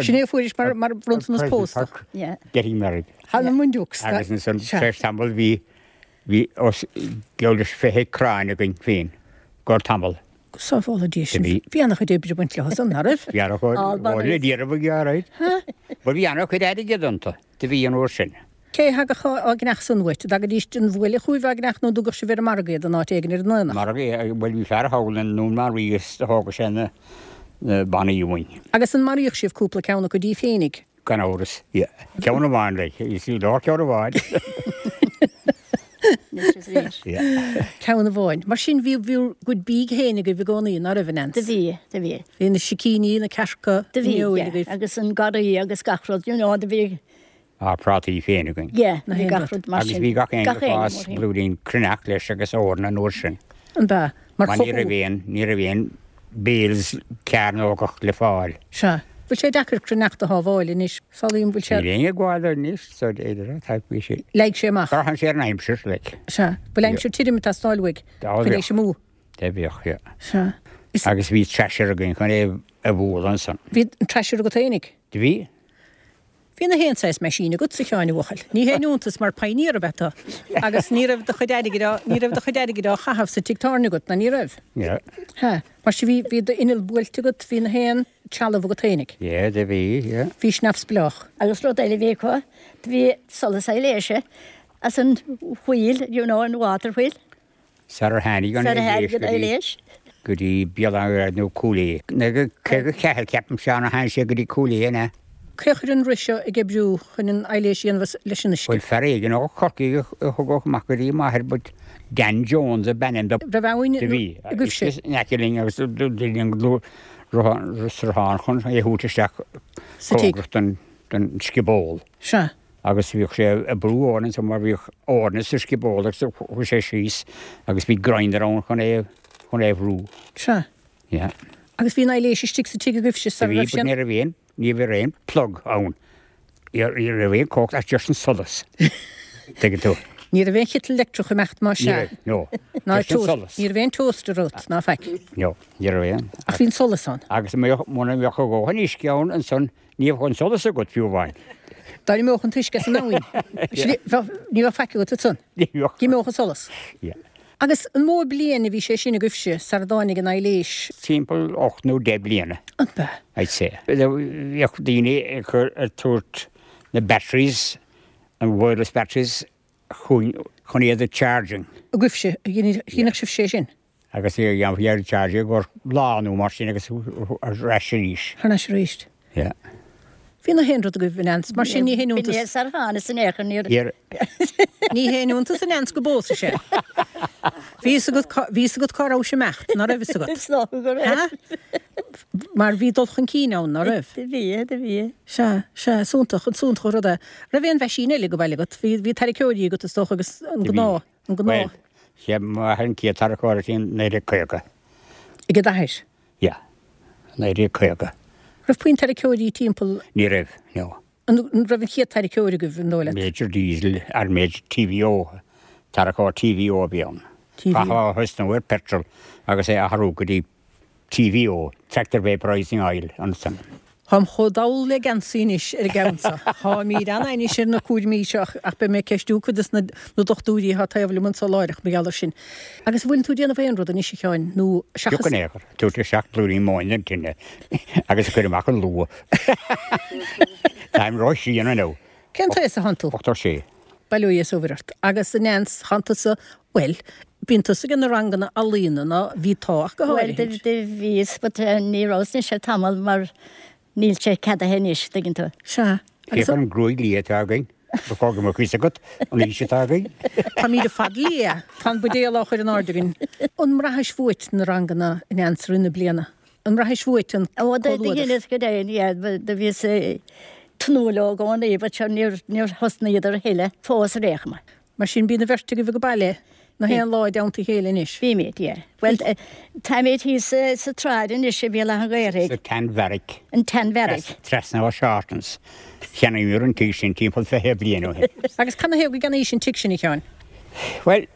[SPEAKER 1] Sin é a fuairis mar, mar bhronntanas pósta.
[SPEAKER 6] Yeah.
[SPEAKER 7] Getting married.
[SPEAKER 1] Thar na Mundiuks.
[SPEAKER 7] Agus ansan tar éis tamaill bhí, bhí os geall leis 20 crann againn féin i gcomhair tamall.
[SPEAKER 1] Go sábhála Dia sinn.
[SPEAKER 7] Bhí.
[SPEAKER 1] Bhí an-chuid oibre ag baint leo san, ná raibh?
[SPEAKER 7] Bhí an-chuid, le d'iarraidh a ghearradh. Bhuel bhí an-chuid airgid iontu, do bhí an uair sin.
[SPEAKER 1] Cé a thagadh á gceannach san uait? An dtagaidís den bhuaile chugaibh á gceannach nó an dtugadh sibh ar an margadh iad in áit éigin ar an aonach?
[SPEAKER 7] Margadh, bhuel bhí fear thall i nDún Banríon agus do thógadh sé na bannaí uainn.
[SPEAKER 1] Agus an maraíodh sibh cúpla ceann acu díbh féinig?
[SPEAKER 7] Gan amhras, yeah. Ceann amháin, like, is í lár ceann amháin. Yeah.
[SPEAKER 1] Ceann amháin. Mar sin bhí bhur gcuid bídh féin agaibh i gcónaí, ná raibh, a Neans?
[SPEAKER 6] Do bhí, do bhí.
[SPEAKER 1] Bhí na sicíní, na cearca,
[SPEAKER 6] Do bhí,
[SPEAKER 1] an fheoil
[SPEAKER 6] yeah.
[SPEAKER 1] agaibh.
[SPEAKER 6] Agus an garraí agus gach rud, you know, do bhí.
[SPEAKER 7] Ár bprátaí féin againn.
[SPEAKER 6] Yeah, bhí gach rud mar
[SPEAKER 7] Agus
[SPEAKER 6] sin.
[SPEAKER 7] bhí gach éinne
[SPEAKER 6] Gach
[SPEAKER 7] ag
[SPEAKER 6] éinne
[SPEAKER 7] fás
[SPEAKER 6] mar sin.
[SPEAKER 7] blúirín cruithneacht leis agus eorna an uair sin.
[SPEAKER 1] An b'ea? Mar
[SPEAKER 7] Mar ní
[SPEAKER 1] chothú.
[SPEAKER 7] raibh aon, ní raibh aon bales cearnógach le fáil.
[SPEAKER 1] Sea. Bhfuil sé deacair cruithneacht a shábháil anois? Samhlaím, bhfuil sé.
[SPEAKER 7] Níl éinne ag gabháil anois, so d'fhéidir, tá, bhí sé.
[SPEAKER 1] Leig sé amach.
[SPEAKER 7] Braitheann sé ar an aimsir, like.
[SPEAKER 1] Sea. Bhfuil aimsir tirim ag teastáil uaidh
[SPEAKER 7] Dá
[SPEAKER 1] chun é
[SPEAKER 7] bheadh.
[SPEAKER 1] sin amú?
[SPEAKER 7] Dá bheadh, yeah.
[SPEAKER 1] Sea. Is.
[SPEAKER 7] Agus bhí thresher againn chun é a bhualadh ansan.
[SPEAKER 1] Bhí an thresher agat fhéinig?
[SPEAKER 7] Do bhí.
[SPEAKER 1] Bhí na haon saghas meaisín agat, a Sheáin, a bhuachaill. Ní haon iontas mar pioneer ab ea tú. Agus ní raibh do chuid airgid á, ní raibh do chuid airgid á chaitheamh sa tigh tábhairne agat, ná ní raibh?
[SPEAKER 7] Ní raibh.
[SPEAKER 1] Hea. Mar sin bhí, bhí d'inneall buailte agat, bhí na haon trealamh agat fhéinig.
[SPEAKER 7] Yeah, do bhí, yeah.
[SPEAKER 1] Bhís neamhspleách.
[SPEAKER 6] Agus rud eile a bhí acu, do bhí solas aibhléise as an wheel, you know, an water wheel.
[SPEAKER 7] Sarar tháinig an
[SPEAKER 6] Sarar tháinig
[SPEAKER 7] aibhléis
[SPEAKER 6] an
[SPEAKER 7] go dtí.
[SPEAKER 6] aibhléis.
[SPEAKER 7] Go dtí Béal Átha an Ghaorthaidh nó Cúil Aodha. 1954 ceapaim Seán a tháinig sé go dtí Cúil Aodha, an ea?
[SPEAKER 1] Cé a chuir an rith seo ag oibriú chun an aibhléis a dhéanamh leis an uisce?
[SPEAKER 7] Bhuel fear éigin ó Chorcaigh a thugadh amach go dtí m'athair but Dan Jones ab ainm do.
[SPEAKER 1] Raibh abhainn
[SPEAKER 7] Do bhí.
[SPEAKER 1] agaibhse?
[SPEAKER 7] Uisce in aice linn agus do bhí an sruthán chun é a thabhairt isteach
[SPEAKER 1] Sa tigh.
[SPEAKER 7] cóngarach don don scioból.
[SPEAKER 1] Sea.
[SPEAKER 7] Agus bhíodh sé ag brú eorna ansan mar bhíodh eorna sa scioból agus chuaigh sé síos agus bhí grinder ann chun é chun é a bhrú.
[SPEAKER 1] Sea.
[SPEAKER 7] Yeah.
[SPEAKER 1] Agus bhí an aibhléis istigh sa tigh agaibhse sara
[SPEAKER 7] Bhí,
[SPEAKER 1] raibh
[SPEAKER 7] but
[SPEAKER 1] sé an.
[SPEAKER 7] ní raibh aon, ní raibh aon plug ann. Ní raibh aon cumhacht ach just an solas. Tuigeann tú.
[SPEAKER 1] Ní raibh aon chiteal leictreach ag imeacht más
[SPEAKER 7] Ní
[SPEAKER 1] ea.
[SPEAKER 7] raibh, no.
[SPEAKER 1] Ná
[SPEAKER 7] Just an
[SPEAKER 1] toast,
[SPEAKER 7] solas.
[SPEAKER 1] ní raibh aon toaster agat, ná faic.
[SPEAKER 7] No, ní raibh aon.
[SPEAKER 1] Ach bhí an solas ann.
[SPEAKER 7] Agus muna mbeadh a dhóthain uisce ann ansan Ní bheadh an solas agat fiú amháin.
[SPEAKER 1] Dá n-imeodh an t-uisce as an abhainn, ní bheadh faic agat ansan.
[SPEAKER 7] Ní bheadh.
[SPEAKER 1] D'imeodh an solas.
[SPEAKER 7] Yeah.
[SPEAKER 1] Agus an mó bliain a bhí sé sin agaibhse sara dtáinig an aibhléis?
[SPEAKER 7] Timpeall 8 nó 10 bliana.
[SPEAKER 1] An b'ea?
[SPEAKER 7] I'd say. Bhíodh daoine ag cur, ag tabhairt na batteries, an wireless batteries chugainn chun iad a charging.
[SPEAKER 1] Agaibhse, cheannaigh sibhse é sin?
[SPEAKER 7] Agus dhéanfaí ar charge i gcomhair lá nó mar sin agus ar ais arís.
[SPEAKER 1] Thar n-ais arís.
[SPEAKER 7] Yeah.
[SPEAKER 1] Bhí na haon rud agaibh a Neans, mar sin ní haon iontas.
[SPEAKER 6] B'in é sar thánas in aon chor, níor.
[SPEAKER 7] Níor.
[SPEAKER 1] Ní haon iontas a Neans go bpósadh sé. Bhí fhios agat cá, bhí fhios agat cá rabhais ag imeacht, ná raibh fhios agat?
[SPEAKER 6] Is dócha go raibh.
[SPEAKER 1] Ha? Mar bhí dul chun cinn ann, ná raibh?
[SPEAKER 6] Do bhí, do bhí.
[SPEAKER 1] Sea, sea, is iontach, is iontach an rud é. Raibh aon mheaisín eile ag baile agat? Bhí, bhí tarraiceoirí agat is dócha agus an gnáth. An
[SPEAKER 7] Bhuel,
[SPEAKER 1] gnáth.
[SPEAKER 7] sé m'athair an chéad tarracóir a bhí in 1950.
[SPEAKER 1] Ag d'athair?
[SPEAKER 7] Yeah, 1950.
[SPEAKER 1] Raibh puinn tarraiceoirí timpeall?
[SPEAKER 7] Ní raibh, no.
[SPEAKER 1] An raibh an chéad tarraiceoir agaibh, an dóigh leat?
[SPEAKER 7] Major Diesel, ar Major TVO, tarracóir TVO a bhí ann.
[SPEAKER 1] TVO.
[SPEAKER 7] Chaithfeá a thosnú ar petrol agus é a athrú go dtí TVO, Tractor Vaporizing Oil, ansan.
[SPEAKER 1] Táim chomh dall le geansaí anois ar an gceann seo. Táimíd an-ainnis ar na cúraimí seo ach beidh mé ag ceistiú cuid des na dochtúirí atá taobh liom anso láithreach mar gheall air sin. Agus an bhfuileann tú ag déanamh aon rud anois a Sheáin nó seachas.
[SPEAKER 7] Pioc in aon chor, tabhairt isteach blúirín móin den tine agus a chur amach an luath. Táim ró-chríonna now.
[SPEAKER 1] Cén t-aos a thánn tú?
[SPEAKER 7] 86.
[SPEAKER 1] Bail ó Dhia is ó Mhuire ort. Agus a Neans, thánn tusa, bhuel, bíonn tusa ag na ranganna ealaíona, ná bhí tá ach go
[SPEAKER 6] Bhuel,
[SPEAKER 1] háirithe.
[SPEAKER 6] do bhíos, but ní rabhas anois le tamall mar níl sé ceadaithe anois, tuigeann tú.
[SPEAKER 1] Sea.
[SPEAKER 7] Féach ar an gruaig liath atá againn, ba chóir go mbeadh fhios agat an aois atá againn.
[SPEAKER 1] Táimíd ar fad liath, tá an buidéal á chur in airde againn. An mbraithis uait na ranganna, a Neans, i rith na bliana? An mbraithis uait an
[SPEAKER 6] Ó, do
[SPEAKER 1] comhluadar?
[SPEAKER 6] dheineas go deimhin, yeah, do bhíos ag tnúth leo i gcónaí, but sure, níor, níor thosnaíodar a thuilleadh fós ar aon chuma.
[SPEAKER 1] Mar sin, bíonn an bheirt agaibh ag baile na haon lá i dteannta a chéile anois.
[SPEAKER 6] Bímid, yeah. Bhuel, táimid thíos sa tsráid anois i Béal Átha an Ghaorthaidh.
[SPEAKER 7] Sa tseanbheairic.
[SPEAKER 6] An tseanbheairic.
[SPEAKER 7] Trasna ó Shortons. Cheannaíomar an tigh sin timpeall 20 bliain ó shin.
[SPEAKER 1] Agus canathaobh go gceannaís an tigh sin, a Sheáin?
[SPEAKER 7] Bhuel,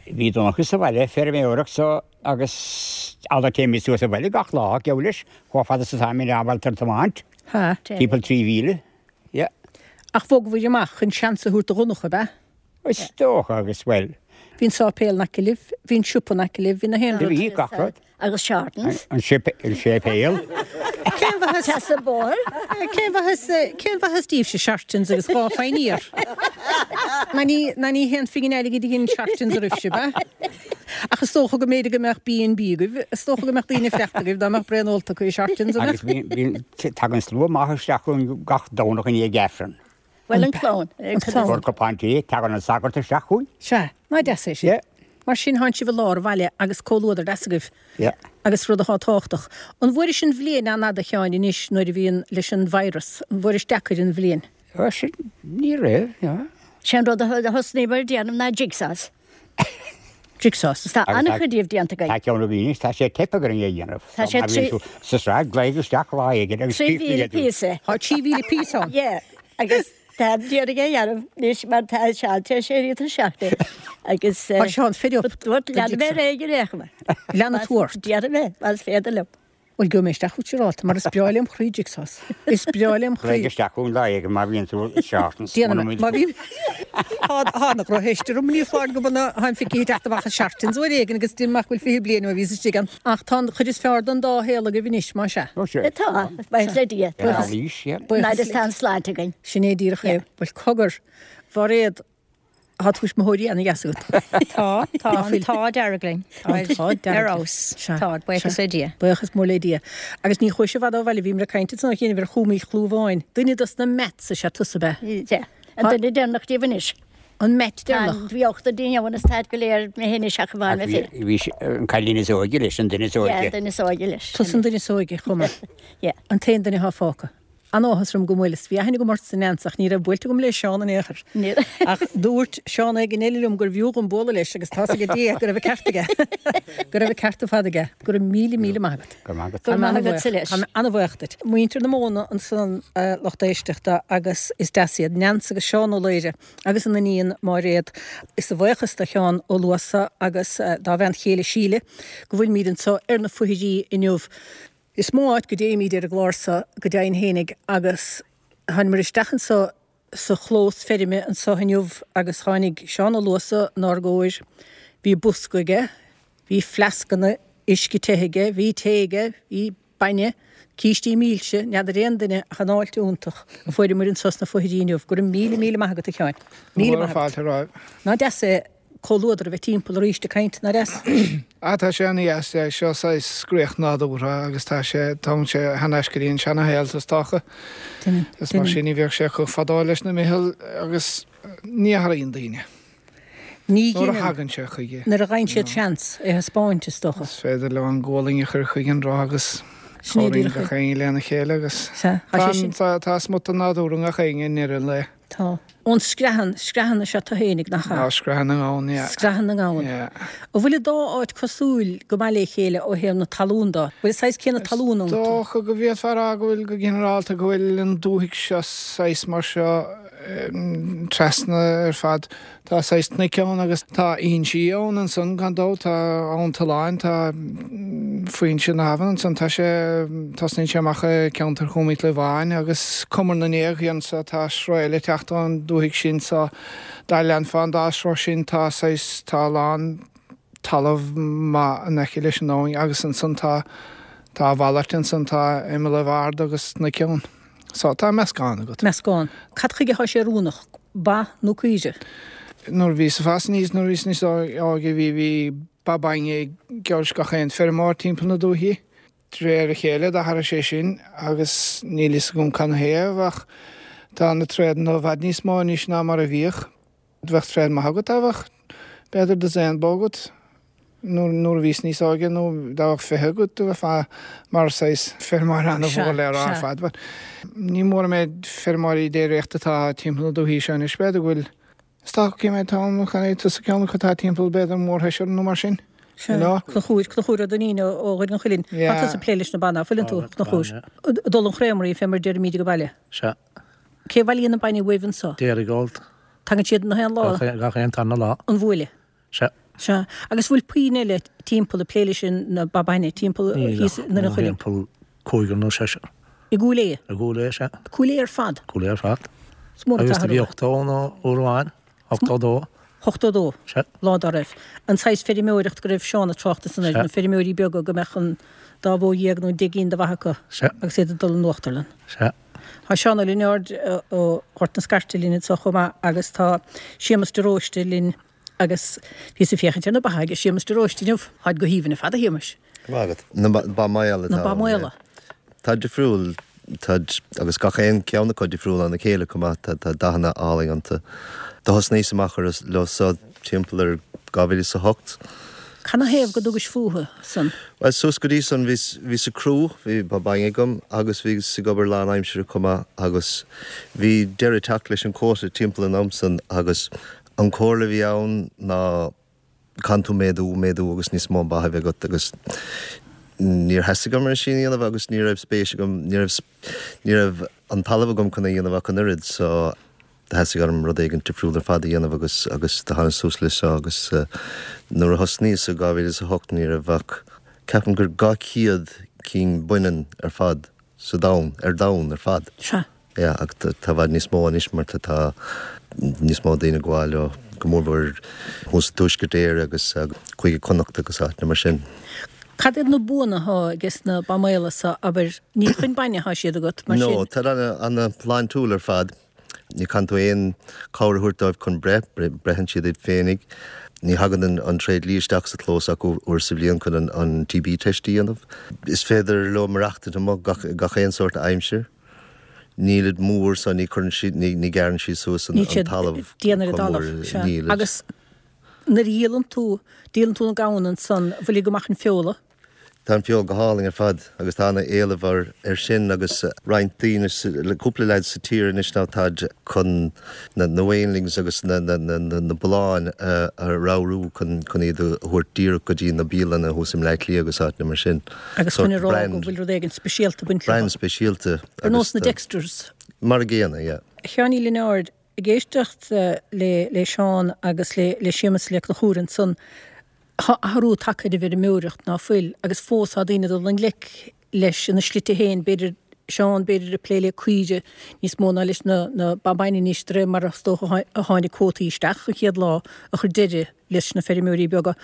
[SPEAKER 7] bhí Donncha sa bhaile ag feirmeoireacht so Agus alla téimid suas abhaile gach lá, geall leis, chomh fada is atáimid ábalta ar tiomáint.
[SPEAKER 1] Ha.
[SPEAKER 7] Timpeall 3 mhíle, yeah.
[SPEAKER 1] Ach bhogabhair amach chun seans a thabhairt do Dhonncha, ab ea?
[SPEAKER 7] Is dócha, agus, bhuel.
[SPEAKER 1] Bhí an sáipéal in aice libh, bhí an siopa in aice libh, bhí na haon rud.
[SPEAKER 7] Bhí, gach rud.
[SPEAKER 6] Agus Shortons.
[SPEAKER 7] An séipéal.
[SPEAKER 1] Cén mhaitheas.
[SPEAKER 6] Trasna an bóthar.
[SPEAKER 1] Cén mhaitheas, cén mhaitheas daoibhse Shortons agus 2 phingin air? Ná ní, ná ní haon phingin airgid a dhein Shortons oraibhse, ab ea? Ach is dócha go mb'fhéidir go mbeadh B&B agaibh, is dócha go mbeadh daoine ag fanacht agaibh dá mbeadh braon ólta acu i Shortons, an
[SPEAKER 7] Agus bíonn, tagann slua maith isteach chugainn gach Domhnach i ndiaidh Aifreann.
[SPEAKER 6] Bhuel, an clann.
[SPEAKER 1] An clann.
[SPEAKER 7] Fuair cupán tae, tagann an sagart isteach chugainn.
[SPEAKER 1] Sea, ná deas é sin.
[SPEAKER 7] Yeah.
[SPEAKER 1] Mar sin, thánn sibh i lár an bhaile agus comhluadar deas agaibh.
[SPEAKER 7] Yeah.
[SPEAKER 1] Agus rud atá tábhachtach. An bhfuairis an bhliain an-fhada, a Sheáin, anois nuair a bhíonn leis an virus, an bhfuairis deacair an bhliain?
[SPEAKER 7] Ó, sin, ní raibh, yeah.
[SPEAKER 6] Sé an rud a thosnaíomar ag déanamh ná jigsaws.
[SPEAKER 1] Jigsaws.
[SPEAKER 6] Tá an-chuid díobh déanta againn.
[SPEAKER 7] Tá ceann againn anois, tá sé ag teip orainn é a dhéanamh.
[SPEAKER 6] Tá sé
[SPEAKER 7] Má bhíonn tú sa sraith, glaoigh isteach lá éigin agus
[SPEAKER 6] 3,000 píosa.
[SPEAKER 1] Tá 3,000 píosa ann.
[SPEAKER 6] Yeah, agus tá d'iarraidh é a dhéanamh anois mar tá Seán tar éis éirí tuirseach de agus.
[SPEAKER 1] Tá Seán fed up.
[SPEAKER 6] Dúirt leanfaidh mé ar aghaidh ar aon chuma.
[SPEAKER 1] Leanfaidh tú ort.
[SPEAKER 6] Déarfaidh mé, más féidir liom.
[SPEAKER 1] Bhuel, gheobhaidh mé isteach chugat siúrálta, mar is breá lem chroí jigsaws. Is breá lem chroí.
[SPEAKER 7] Glaoigh isteach chugainn lá éigin má bhíonn tú i Shortons.
[SPEAKER 1] Déanfaidh mé. Má bhím. Tá, tá na drochtheist orm, ní foláir go mb'ionann tháim feicthe ag teacht amach as Shortons uair éigin agus déarfainn nach bhfuil 20 bliain ó bhíos istigh ann. Ach tá an chuid is fearr den dá shaol agaibh anois, más ea.
[SPEAKER 7] Ó, sea.
[SPEAKER 6] Tá, buíochas le Dia.
[SPEAKER 7] Ar ár aois, yeah.
[SPEAKER 6] Buíochas le. Tá an sláinte againn.
[SPEAKER 1] Sin é díreach é. Bhuel, cogar, Mhairéad. Tá tuismitheoirí ana dheas agat.
[SPEAKER 8] Tá, tá, an t-ádh dearg linn.
[SPEAKER 1] An t-ádh dearg.
[SPEAKER 8] Ar fheabhas. Tá, buíochas le Dia.
[SPEAKER 1] Buíochas mór le Dia. Agus ní chuaigh sibh i bhfad ó bhaile, bhíomar ag caint ansan ó chianaibh ar Chúm Uí Chlúmháin. Duine dos na Matts is ea tusa, ab
[SPEAKER 6] ea? Sea. An duine deireanach díobh anois.
[SPEAKER 1] An Matt deireanach.
[SPEAKER 6] Bhí ochtar dínn ann agus táid go léir imithe anois ach amháin mé féin.
[SPEAKER 7] Bhí an cailín is óige leis, an duine is óige.
[SPEAKER 6] Yeah, an duine is óige leis.
[SPEAKER 1] Tusa an duine is óige, chomh maith.
[SPEAKER 6] Yeah.
[SPEAKER 1] An t-aon duine atá fágtha. An-áthas orm go bhfuil, is bhí aithne agam ortsa Neans ach ní raibh buailte agam le Seán in aon chor. Ach dúirt Seán éigin eile liom gurbh fhiú dhom bualadh leis agus tá's ag Dia go raibh an ceart aige. Go raibh an ceart ar fad aige. Go raibh míle míle maith agat.
[SPEAKER 7] Go raibh maith agat.
[SPEAKER 6] Go raibh maith agatsa leis.
[SPEAKER 1] Tá mé an-bhuíoch duit. Muintir na Móna ansan a lucht éisteachta agus is deas iad Neans agus Seán Ó Laoire agus a n-iníon Máiréad. Is a bhuíochas do Sheán Ó Luasa agus dá bhean chéile Síle go bhfuilimid anseo ar na Foichirí inniu. Is mó áit go dtéimíd ar an gclár so go deimhin fhéinig agus tháinimir isteach anso sa chlós feirme anso inniu agus tháinig Seán Ó Luasa 'nár gcomhair. Bhí bosca aige, bhí fleascanna uisce te aige, bhí tae aige, bhí bainne, cístí milse, n'fheadar aon duine ach an fháilte iontach a fuaireamair anso sna Foichirí inniu. Go raibh míle míle maith agat a Sheáin. Míle maith agat. Ná deas é comhluadar a bheith timpeall arís ag caint, nach deas?
[SPEAKER 9] Ah, tá sé ana-dheas, yeah. Seo saghas scréach nádúrtha agus tá sé, tógann sé thar n-ais go dtí an seana-shaol is dócha.
[SPEAKER 1] Deineann,
[SPEAKER 9] Is mar sin ní bheadh sé chomh fadó leis na Micheál agus ní athraíonn daoine.
[SPEAKER 1] Ní
[SPEAKER 9] Nuair a
[SPEAKER 1] dheineann.
[SPEAKER 9] thagann sé chuige.
[SPEAKER 1] Nuair a gheibheann siad seans é a thaispeáint, is dócha.
[SPEAKER 9] Is féidir leo an gualainn a chur chuige an roth agus
[SPEAKER 1] Sin é
[SPEAKER 9] cabhraíonn
[SPEAKER 1] díreach é.
[SPEAKER 9] gach éinne lena chéile agus
[SPEAKER 1] Sea, tá
[SPEAKER 9] tá
[SPEAKER 1] sé sin.
[SPEAKER 9] tá tá smut den nádúr i ngach éinne i ndeireadh an lae.
[SPEAKER 1] Tá. Ón Screathan, Screathan is ea tú fhéinig, nach ea?
[SPEAKER 9] Á, Screathan na nGamhan, yeah.
[SPEAKER 1] Screathan na nGamhan.
[SPEAKER 9] Yeah.
[SPEAKER 1] An bhfuil an dá áit cosúil go maith le chéile ó thaobh na talún de? Bhfuil an saghas céanna talún
[SPEAKER 9] Is
[SPEAKER 1] iontu?
[SPEAKER 9] dócha go bhféadfá a rá go bhfuil, go ginearálta, go bhfuil an dúthaigh seo saghas mar seo trasna ar fad. Tá saghas cnoic ann agus tá fhoinsí ann ansan gan dabht, tá Abhainn Tulláin, tá foinse na habhann ansan, tá sé, tosnaíonn sé amach i gceantar Chúm Uí Chlúmháin agus Cumar na nGéag anso, tá sruth eile ag teacht ón dúthaigh sin so dá leanfá an dá shruth sin tá saghas, tá a lán talamh maith in aice leis an abhainn agus ansan tá, tá a mhalairt ansan, tá imeallaibh arda agus cnoic ann. So, tá meascán agat.
[SPEAKER 1] Meascán. Cad chuige thá sé oiriúnach? Ba nó caoire?
[SPEAKER 9] Nuair a bhíos ag fás aníos, nuair a bhíos níos óige, bhí, bhí ba bainne ag geall gach aon feirmeoir timpeall na dúichí. De réir a chéile d'athraigh sé sin agus níl fhios agam canathaobh ach tá na tréadanna i bhfad níos mó anois ná mar a bhíodh. Bheadh tréad maith agat dá bheadh b'fhéidir dosaen bó agat nuair a bhíos níos óige nó dá bheadh 20 agat do bheifeá mar saghas feirmeoir an-mhór le rá ar fad. But ní mór an méid feirmeoirí déiríochta atá timpeall na dúichí seo anois b'fhéidir go bhfuil is dócha cé mhéad atá ann chan é tusa ceann acu atá timpeall b'fhéidir mórsheisear nó mar sin.
[SPEAKER 1] Sea, Conchúr, Conchúr Ó Duinnín ó Dhoire an Chuilinn. Tá tusa ag plé leis na ba ná fuileann tú, Conchúr? Dul an Chréamraí fé mar a deirimíd ag baile.
[SPEAKER 10] Sea.
[SPEAKER 1] Cé a bhailíonn an bainne uaibh anso?
[SPEAKER 10] Dairygold.
[SPEAKER 1] Tagann siad na haon lá?
[SPEAKER 10] Gach aon tarna lá.
[SPEAKER 1] An bhuaile?
[SPEAKER 10] Sea.
[SPEAKER 1] Sea. Agus bhfuil puinn eile timpeall ag plé leis na ba bainne, timpeall thíos i nDoire an Chuilinn?
[SPEAKER 10] Níl ach timpeall cúigear nó seisear.
[SPEAKER 1] I gCúil Aodha?
[SPEAKER 10] I gCúil Aodha, sea.
[SPEAKER 1] Cúil Aodha ar fad?
[SPEAKER 10] Cúil Aodha ar fad.
[SPEAKER 1] Is mór an
[SPEAKER 10] Agus do
[SPEAKER 1] t-athrú
[SPEAKER 10] bhí
[SPEAKER 1] é.
[SPEAKER 10] 80 ann uair amháin, 82.
[SPEAKER 1] 82?
[SPEAKER 10] Sea.
[SPEAKER 1] Lá dá raibh. An saghas feirmeoireacht go raibh Seán ag trácht ansan air,
[SPEAKER 10] Sea.
[SPEAKER 1] na feirmeoirí beaga go mbeadh an dá bhó dhéag nó deich gcinn de bha acu
[SPEAKER 10] Sea.
[SPEAKER 1] agus iad ag dul in uachtarlann.
[SPEAKER 10] Sea.
[SPEAKER 1] Tá Seán Ó Lionáird ó Ghort na Scairte linn anseo chomh maith agus tá Séamus de Róiste linn agus bhíos ag féachaint ar na ba aige Séamus de Róiste inniu. Táid go haoibhinn ar fad a Shéamais.
[SPEAKER 11] Go maith agat. Na ba maola atá
[SPEAKER 1] Na ba maola.
[SPEAKER 11] Tá difriúil, táid, agus gach aon ceann acu difriúil óna chéile chomh maith, tá dathanna álainn iontu. Do thosnaíos amach leo so timpeall ar 2008.
[SPEAKER 1] Canathaobh go dtugais fúthu san?
[SPEAKER 11] Bhuel, suas go dtí san bhíos, bhíos ag crú, bhí ba bainne agam agus bhíos ag obair lán-aimsire chomh maith agus bhí deireadh ag teacht leis an quota timpeall an am san agus an comhairle a bhí ann ná caitheann tú méadú, méadú agus níos mó ba a bheith agat agus níor theastaigh uaim é sin a dhéanamh agus ní raibh spéis agam, ní raibh, ní raibh an talamh agam chun é a dhéanamh ach an oiread so theastaigh orm rud éigin difriúil ar fad a dhéanamh agus agus do thánas suas leis seo agus nuair a thosnaíos i 2008 ní raibh ach ceapaim gur 200 cinn baineann ar fad sa domhan, ar domhan ar fad.
[SPEAKER 1] Sea.
[SPEAKER 11] Yeah, ach tá i bhfad níos mó anois mar tá tá níos mó daoine ag gabháil leo, go mórmhór thuas i dTuaisceart Éireann agus Cúige Connacht agus áiteanna mar sin.
[SPEAKER 1] Cad iad na buanna atá ages na ba maola so, abair, ní chun bainne atá siad agat, mar
[SPEAKER 11] No,
[SPEAKER 1] sin?
[SPEAKER 11] tá ana, ana shláintiúil ar fad. Ní chaitheann tú aon chabhair a thabhairt dóibh chun breith, breitheann siad iad féinig. Ní thagann an tréidlia isteach sa chlós ach uair sa bhliain chun an TB test a dhéanamh. Is féidir leo maireachtaint amuigh gach aon sórt aimsir. Nílid mór so ní chuireann siad, ní ghearrann siad suas an talamh
[SPEAKER 1] chomh mór. Nílid. Agus nuair a dhíolann tú, díolann tú na gamhna ansan, bhfuil go maith an feola?
[SPEAKER 11] Tá an feoil go hálainn ar fad agus tá ana-éileamh air sin agus roinnt daoine, cúpla leaid sa tír anois now táid chun na weanlings agus na bulláin a ramhrú chun iad a thabhairt díreach go dtí na bialanna thuas i mBleá Cliath agus áiteanna mar sin.
[SPEAKER 1] Agus chun a rá go bhfuil rud éigin speisialta ag baint leo.
[SPEAKER 11] Brand speisialta.
[SPEAKER 1] Ar nós na Dexters.
[SPEAKER 11] Mar a gcéanna, yeah.
[SPEAKER 1] A Sheáin Uí Lionáird, ag éisteacht le Seán agus le Séamus Ó Conchúir ansan, Tá athrú tagtha ar an bhfeirmeoireacht, ná fuil, agus fós tá daoine ag dul i ngleic leis ina slite féin, b'fhéidir, Seán, b'fhéidir ag plé le caoire níos mó ná leis na na ba bainne anois de réir mar is dócha a tháinig cuótaí isteach an chéad lá a chuir deireadh leis na feirmeoirí beaga.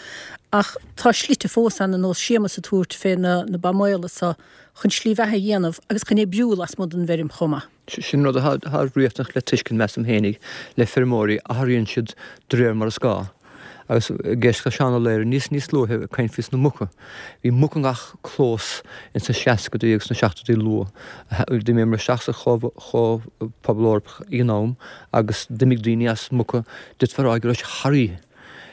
[SPEAKER 1] Ach tá slite fós ann ar nós Séamus ag tabhairt fé na na ba maola so chun slí bheatha a dhéanamh agus chun oibriú lasmuigh den bhfeirm chomh maith.
[SPEAKER 12] Sin rud atá riachtanach le tuiscint, measaim fhéinig, le feirmeoirí, athraíonn siad de réir mar is gá. Agus ag éisteacht le Seán Ó Laoire níos níos luaithe ag caint faoi na muca. Bhí muc i ngach clós ins na seascadaí agus na seachtóidí luath. D'imíomar isteach sa Chomhphobal Eorpach ag an am agus d'imigh daoine as muca, d'fhéadfá a rá go raibh sé thar oíche.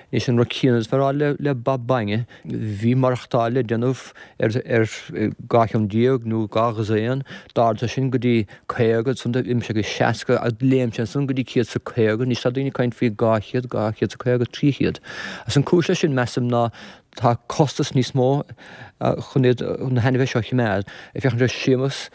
[SPEAKER 12] Anois an rud céanna is fearr le le ba bainne. Bhí maireachtáil le déanamh ar ar 12 cheann nó 12 dhosaen. D'ardaigh sé sin go dtí 50, ansan d'imigh sé go 60 agus léim sé ansan go dtí 150. Anois tá daoine ag caint faoi 200, 250, 300. Agus an cúis leis sin, measaim, ná tá costas níos mó chun iad na hainmhithe seo a choimeád. Ag féachaint ar Séamus,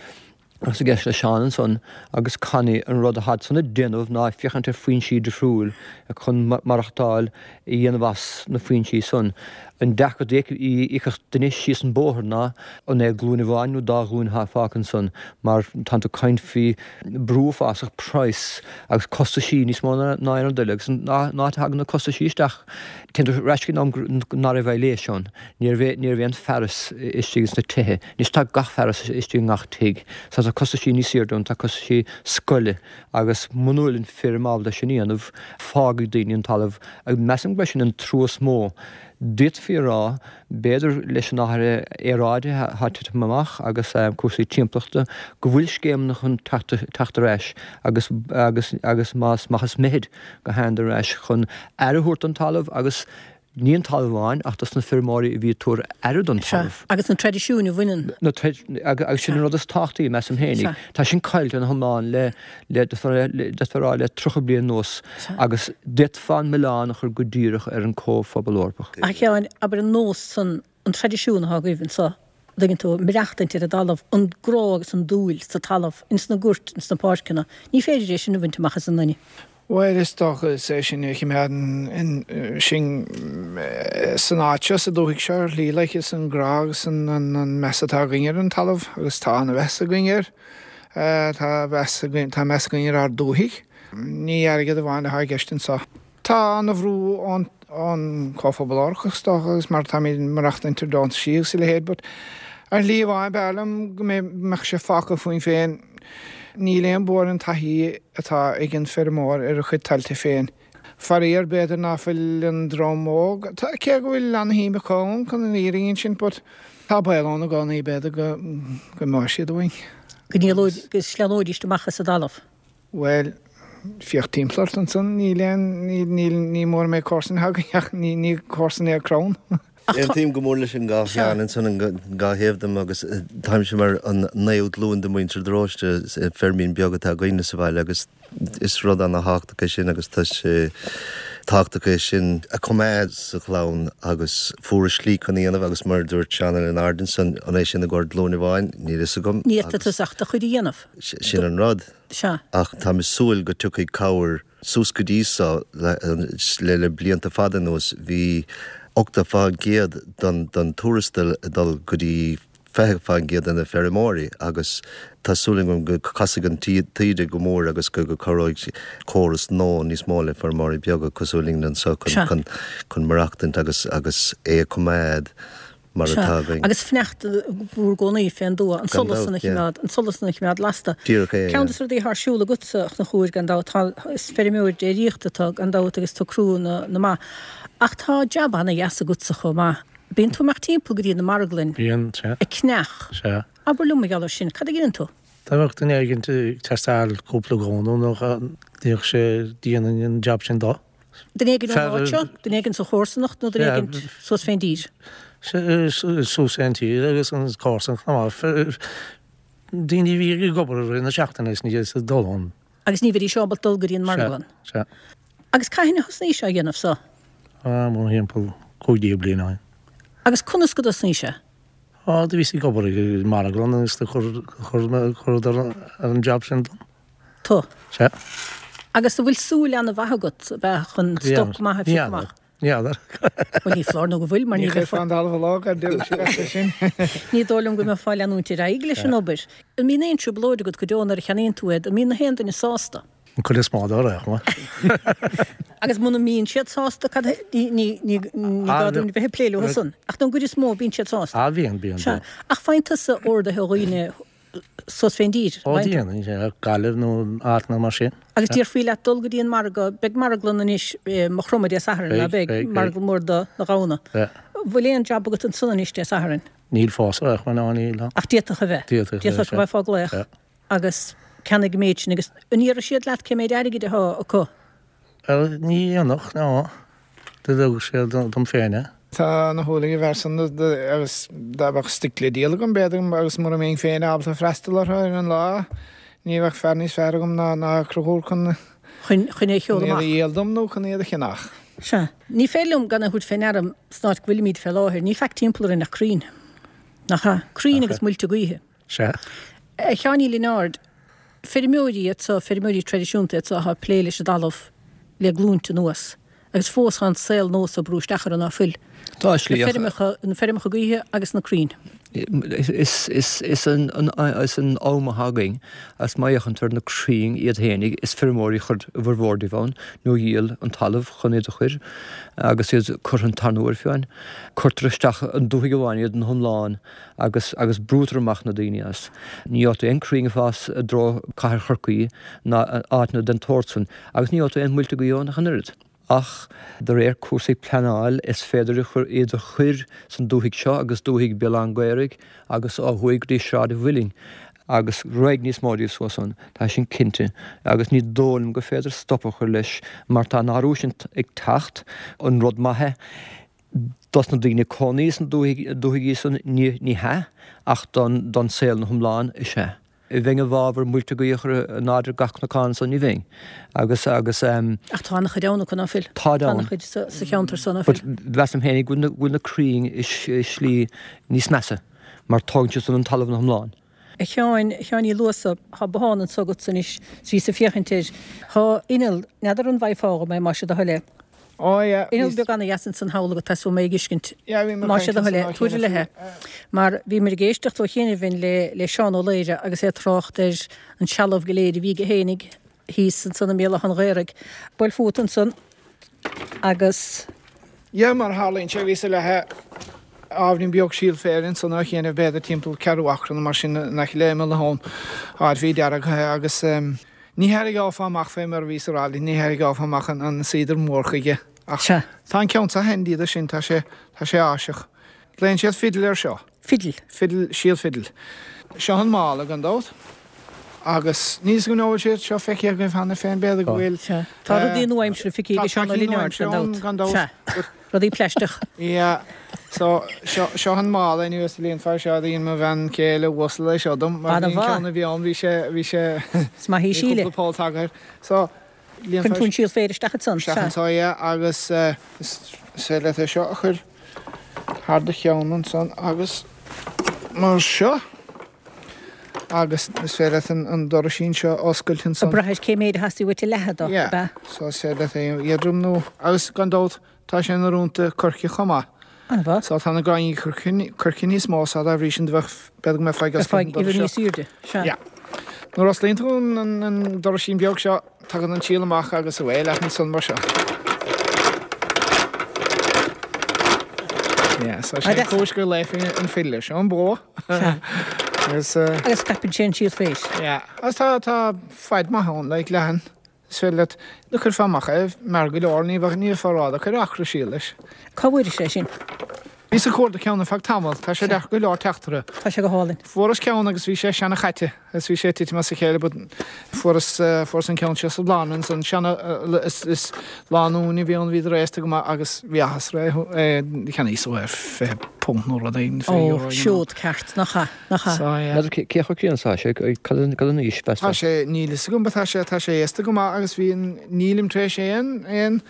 [SPEAKER 12] Agus ag éisteacht le Seán ansan agus Connie, an rud atá siadsan ag déanamh ná féachaint ar foinsí difriúil chun maireachtáil a dhéanamh as na foinsí san. An deacracht a fheicfeadh duine síos an bóthar ná an é glúin amháin nó dá ghlúin atá fágtha ansan mar tánn tú ag caint faoi brú uafásach praghas agus costaisí níos mó ná aon rud eile agus an áit a thagann na costaisí isteach téann tú ar ais go dtí an am ná raibh aibhléis ann. Ní raibh ní raibh aon fearas istigh ins na tithe. Anois tá gach fearas istigh i ngach tigh. So tá costaisí níos airde ann, tá costaisí scoile agus muna bhfuil an feirm ábalta sin a dhéanamh, fágfaidh daoine an talamh. Agus measaim gurb é sin an trua is mó. D'fhéadfaí a rá, b'fhéidir, leis an athrú aeráide atá ag titim amach agus cúrsaí timpeallachta, go bhfuil scéimeanna chun teacht teacht ar ais agus agus agus más maith is mithid go thagann ar ais chun aire a thabhairt don talamh agus Ní an talamh amháin ach dos na feirmeoirí a bhí ag tabhairt aire don
[SPEAKER 1] talamh. Sea, agus na traidisiúin a bhaineann.
[SPEAKER 12] Na agus sin an rud is tábhachtaí, measaim féinig. Tá sin caillte ina hiomlán le, le, d'fhéadfá a rá le 30 bliain anuas agus d'fhéadfá an milleán a chur go díreach ar an Comhphobal Eorpach.
[SPEAKER 1] A Sheáin, abair an nós san, an traidisiún atá agaibh anso, dtuigeann tú, maireachtaint ar an dtalamh, an grá agus an dúil sa talamh, ins na goirt, ins na páirceanna, ní féidir é sin a bhaint amach as an nduine.
[SPEAKER 9] Bhuel, is dócha, is é sin a choimeádann sinn san áit seo, sa dúthaigh seo, ar shlí, like, is an grá agus an meas atá againn ar an talamh, agus tá an-mheas againn air. Tá meas againn, tá meas againn ar ár dúthaigh. Ní airgead amháin atá i gceist anseo. Tá an-bhrú ón Chomhphobal Eorpach, is dócha, agus mar táimid ag maireachtaint ar deontaisí agus a leithéid, but ar shlí amháin, b'fhearr liom go mbeadh sé fágtha fúinn féin. Níl aon bua ar an taithí atá ag an feirmeoir ar a chuid tailte féin. Faraor, b'fhéidir ná fuil an dream óg, cé go bhfuil ana-shuim acu ann chun an fhírinne a insint, but tá baol ann i gcónaí, b'fhéidir go n-imeoidh siad uainn.
[SPEAKER 1] Go ndíolóidís, go sleamhnóidís amach as an dtalamh.
[SPEAKER 9] Bhuel, féach timpeall ort ansan, níl aon, níl, níl, ní mór an méid comharsan atá againn ach ní, ní comharsan é crann.
[SPEAKER 11] Aontaím go mór leis an dhá Sheán ansan, an dhá thaobh dom agus táimse mar an naoú glúin de mhuintir de Róiste, feirmín beag atá againne sa bhaile agus is rud ana-thábhachtach é sin agus tá sé tábhachtach é sin a choimeád sa chlann agus fuaireas slí chun a dhéanamh agus mar a dúirt Seán Ó Lionáird ansan, an é sin i gcomhair glúin amháin, níl fhios agam
[SPEAKER 1] Ní fhéadfadh tusa ach do chuid a dhéanamh.
[SPEAKER 11] Sin an rud.
[SPEAKER 1] Sea.
[SPEAKER 11] Ach táim ag súil go dtiocfaidh cabhair suas go dtí so le le blianta fada anuas bhí 80% den den tuarastal ag dul go dtí 20% de na feirmeoirí agus tá súil agam go casfaidh an taoide go mór agus go go cabhróidh córas nua níos mó le feirmeoirí beaga cosúil linn anseo chun chun chun maireachtaint agus agus é a choimeád. Mar atá againn.
[SPEAKER 1] Agus sneachta mhór i gcónaí fén dtuath, an solas san a chimeád, an solas san a chimeád lasta.
[SPEAKER 11] Díreach é,
[SPEAKER 1] Ceann de na rudaí atá ar siúl agatsa, a Chonchúir, gan dabht, tá, is feirmeoir déiríochta tú, gan dabht, agus tú ag crú na mba. Ach tá jab ana-dheas agatsa chomh maith. Bíonn tú ag imeacht timpeall go dtí na marglainn.
[SPEAKER 10] Bíonn, sea.
[SPEAKER 1] Ag ceannach.
[SPEAKER 10] Sea.
[SPEAKER 1] Abair liom mar gheall air sin, cad a dheineann tú?
[SPEAKER 10] Dá mbeadh duine éigin ag teastáil cúpla gamhna nó bhíodh sé, dhéanfainn an jab sin dó.
[SPEAKER 1] Duine éigin ón áit seo, duine éigin sa chomharsanacht nó duine éigin suas fén dtír?
[SPEAKER 10] Suas fén tír agus an chomharsanacht chomh maith. Daoine a bhí ag obair i rith na seachtaine is ní ag dul ann.
[SPEAKER 1] Agus ní bheidís ábalta dul go dtí an marglann?
[SPEAKER 10] Sea.
[SPEAKER 1] Agus cathain a thosnaís á dhéanamh so?
[SPEAKER 10] Mórthimpeall 15 bliain ó shin.
[SPEAKER 1] Agus conas go dtosnaís sé?
[SPEAKER 10] Á, do bhíos ag obair i marglann agus do chuireadar an jab sin dom.
[SPEAKER 1] Tú?
[SPEAKER 10] Sea.
[SPEAKER 1] Agus an bhfuil súil ana-mhaith agat, ab ea, chun stoc maith a phiocadh amach?
[SPEAKER 10] Ní fheadar.
[SPEAKER 1] Bhuel, ní foláir nó go bhfuil, mar ní
[SPEAKER 9] Ní chuirfeá an talamh i lámh ar deireadh sé leat é sin.
[SPEAKER 1] Ní dóigh liom go mbeifeá ag leanúint ar aghaidh leis an obair. An mbíonn aon trioblóid agat go deo nuair a cheannaíonn tú iad? An mbíonn na haon duine sásta?
[SPEAKER 10] An chuid is mó dá réir, chomh
[SPEAKER 1] maith. Agus muna mbíonn siad sásta, cad, ní, ní, ní, ní gá dúinn bheith ag plé leo san. Ach don gcuid is mó, bíonn siad sásta.
[SPEAKER 10] Ah, bíonn, bíonn,
[SPEAKER 1] Sea. Ach faigheann tusa orduithe ó dhaoine suas fén dtír.
[SPEAKER 10] Ó, déanann, sea, Gaillimh nó áiteanna mar sin.
[SPEAKER 1] Agus déarfaí leat dul go dtí an margadh, beidh marglann anois i Maigh Chromtha Dé Sathairn, ná beidh?
[SPEAKER 10] Beidh, beidh.
[SPEAKER 1] Marglann mór do na gamhna.
[SPEAKER 10] Sea.
[SPEAKER 1] Bhfuil aon jab agat ansan anois Dé Sathairn?
[SPEAKER 10] Níl fós, ar aon chuma, ná níl.
[SPEAKER 1] Ach d'fhéadfadh a bheith.
[SPEAKER 10] D'fhéadfadh a bheith, sea.
[SPEAKER 1] D'fhéadfadh go mbeifeá ag glaoch.
[SPEAKER 10] Sea.
[SPEAKER 1] Agus ceannaigh an méid sin agus an iarrfaidh siad leat cé méid airgid atá acu?
[SPEAKER 10] Bhuel, ní dhéanfadh, ná. Do thug siad dom féin é.
[SPEAKER 9] Tá ana shúil ag an bhfear san agus dá mbeadh stoic le díol agam, b'fhéidir, agus mura mbeinn féin ábalta freastal orthu ar an lá, ní bheadh fear níos fearr agam ná ná Conchúr chun
[SPEAKER 1] Chun, chun é a sheoladh
[SPEAKER 9] chun iad a
[SPEAKER 1] amach.
[SPEAKER 9] dhíol dom nó chun iad a cheannach.
[SPEAKER 1] Sea. Ní féidir liom gan a thabhairt fé ndeara san áit go bhfuilimíd fé láthair, ní faic timpeall orainn ach crainn. Nach ea? Crainn agus muilte gaoithe.
[SPEAKER 10] Sea.
[SPEAKER 1] A Sheáin Uí Lionáird, feirmeoirí iad so, feirmeoirí traidisiúnta iad so atá ag plé leis an dtalamh le glúinte anuas agus fós tá an saol nua so ag brú isteach orthu, ná fuil?
[SPEAKER 12] Tá slí
[SPEAKER 1] Na feirmeacha, na feirmeacha gaoithe agus na crainn.
[SPEAKER 12] Is, is, is an, is an am atá againn agus má fhéachann tú ar na crainn iad fhéinig, is feirmeoirí a chuir a bhformhór díobh ann nó a dhíol an talamh chun iad a chur agus iad curtha an tarna huair fiú amháin. Cuirtear isteach i ndúthaigh amháin iad ina hiomlán. agus agus brúitear amach na daoine as. Ní fhéadfadh aon crainn a fás i dtreo cathair Chorcaí ná áiteanna den tsórt san agus ní fhéadfadh aon muilte gaoithe ann ach an oiread. Ach de réir cúrsaí pleanáil is féidir iad a chur san dúthaigh seo agus dúthaigh Béal Átha'n Ghaorthaidh agus ó thuaidh go dtí Sráid an Mhuilinn agus raghaidh níos mó díobh suas ann, tá sin cinnte, agus ní dóigh liom gur féidir stop a chur leis mar tá an athrú sin ag teacht, an rud maith é. Dos na daoine cónaí sna dúthaigí san ní hea, ach don saol ina hiomlán is ea. Bheinn i bhfabhar muilte gaoithe a chur in airde gach cnocán ansan, ní bheinn. Agus, agus.
[SPEAKER 1] Ach tá an-chuid ann acu, ná fuil?
[SPEAKER 12] Táid
[SPEAKER 1] Tá
[SPEAKER 12] ann.
[SPEAKER 1] an-chuid sa cheantar so, ná fuil?
[SPEAKER 12] But mheasaim féinig go bhfuil na crainn i slí níos measa, mar tógann siad san an talamh ina hiomlán.
[SPEAKER 1] A Sheáin, a Sheáin Uí Luasa, tá bothán anso agatsa anois, 's bhíos ag féachaint air. Tá inneall, n'fheadar an bhfaighfeá dhom é, más é do thoil é.
[SPEAKER 9] Ó yeah,
[SPEAKER 1] Inneall
[SPEAKER 9] bhí.
[SPEAKER 1] beag ana-dheas ansan thall agat, tá súil mé ag fheiscint.
[SPEAKER 9] Yeah, bhí mé ag
[SPEAKER 1] Más é
[SPEAKER 9] caint
[SPEAKER 1] do thoil
[SPEAKER 9] ansan
[SPEAKER 1] é,
[SPEAKER 9] ó
[SPEAKER 1] tabhair
[SPEAKER 9] chianaibh
[SPEAKER 1] i leith é. Mar bhíomar ag éisteacht ó chianaibh le, le Seán Ó Laoire agus é ag trácht ar an sealbh go léir a bhí aige fhéinig thíos ansan i mBéal Átha an Ghaorthaidh. Buail fút ansan agus.
[SPEAKER 9] Yeah, mar a tharlaíonn sé, bhíos ag leathadh ábhairín beag síol féir ansan ó chianaibh, b'fhéidir timpeall ceathrú acra nó mar sin in aice le imeall na habhann, áit a bhí deargtha agus ní thairgeofá amach fé mar a bhíos a rá leat, ní thairgeofá amach an seeder mór chuige ach
[SPEAKER 1] Sea.
[SPEAKER 9] tá an ceann seo handy do sin, tá sé, tá sé áiseach. Glaonn siad fidil air seo.
[SPEAKER 1] Fidil.
[SPEAKER 9] Fidil, síol fidil. Seo an mála gan dabht. Agus níl 'fhios agam an bhfuil sé seo feicthe agaibh cheana féin, b'fhéidir go bhfuil.
[SPEAKER 1] Sea. Tá rudaí nua-aimseartha feicthe ag Seán Ó Lionáird gan dabht. Sea. Rudaí plaisteach.
[SPEAKER 9] Yeah. So, seo, seo an mála inniu is líonfar seo a dhein mo bhean chéile uasal é seo dom. Mar bhí an ceann a bhí ann, bhí sé, bhí sé,
[SPEAKER 1] Is maith í
[SPEAKER 9] bhí
[SPEAKER 1] Síle.
[SPEAKER 9] cúpla poll tagtha air. So,
[SPEAKER 1] Cuireann tú an síol féir isteach ansan.
[SPEAKER 9] Isteach
[SPEAKER 1] Sea.
[SPEAKER 9] anso, yeah, agus is féidir leat é seo a chur thar do cheann ansan agus mar seo agus is féidir leat an doraisín seo a oscailt ansan.
[SPEAKER 1] Ag brath ar cé méid a theastaigh uait a leathadh dó, ab
[SPEAKER 9] Yeah,
[SPEAKER 1] ea?
[SPEAKER 9] so is féidir leat é a éadrom nó, agus gan dabht tá sé in-oiriúint do coirce chomh maith.
[SPEAKER 1] An-mhaith.
[SPEAKER 9] So tá na gráinní coirce níos mó so dá bhrí sin do bheadh, b'fhéidir go mbeifeá ag oscailt an doras seo.
[SPEAKER 1] Uimhir níos airde, sea.
[SPEAKER 9] Yeah. Nuair a osclaíonn tú an doraisín beag seo, tagann an síol amach agus away leat ansan mar seo. Yeah, so sin cúis go léifinn an fidle. Seo an bó.
[SPEAKER 1] Agus. Agus scaipeann sé an síol féir.
[SPEAKER 9] Yeah. Agus tá, tá faid maith ann, like leathan. Is féidir leat, do chuirfeá amach é, mear go leor, ní bheadh, ní bheifeá ródheacair acra síl leis.
[SPEAKER 1] Cá bhfuairis é sin?
[SPEAKER 9] Bhíos ag cuardach ceann ar feadh tamaill, tá sé deacair go leor teacht orthu.
[SPEAKER 1] Tá sé go hálainn.
[SPEAKER 9] Fuaireas ceann agus bhí sé seana-chaite agus bhí sé ag titim as a chéile but fuaireas, fuaireas an ceann seo sa bhlárna ansan, seana, is, is lánúin a bhí ann, bhíodar aosta go maith agus bhí áthas orthu é, é, cheannaíos é ar £20 nó rud éigin,
[SPEAKER 1] €20 you know. Seod ceart, nach ea, nach ea.
[SPEAKER 9] So, yeah.
[SPEAKER 12] N'fheadar cé chomh críonna is atá sé, cad an aois, meas tú?
[SPEAKER 9] Tá sé, níl fhios agam but tá sé, tá sé aosta go maith agus bhí an, nílim tar éis aon, aon,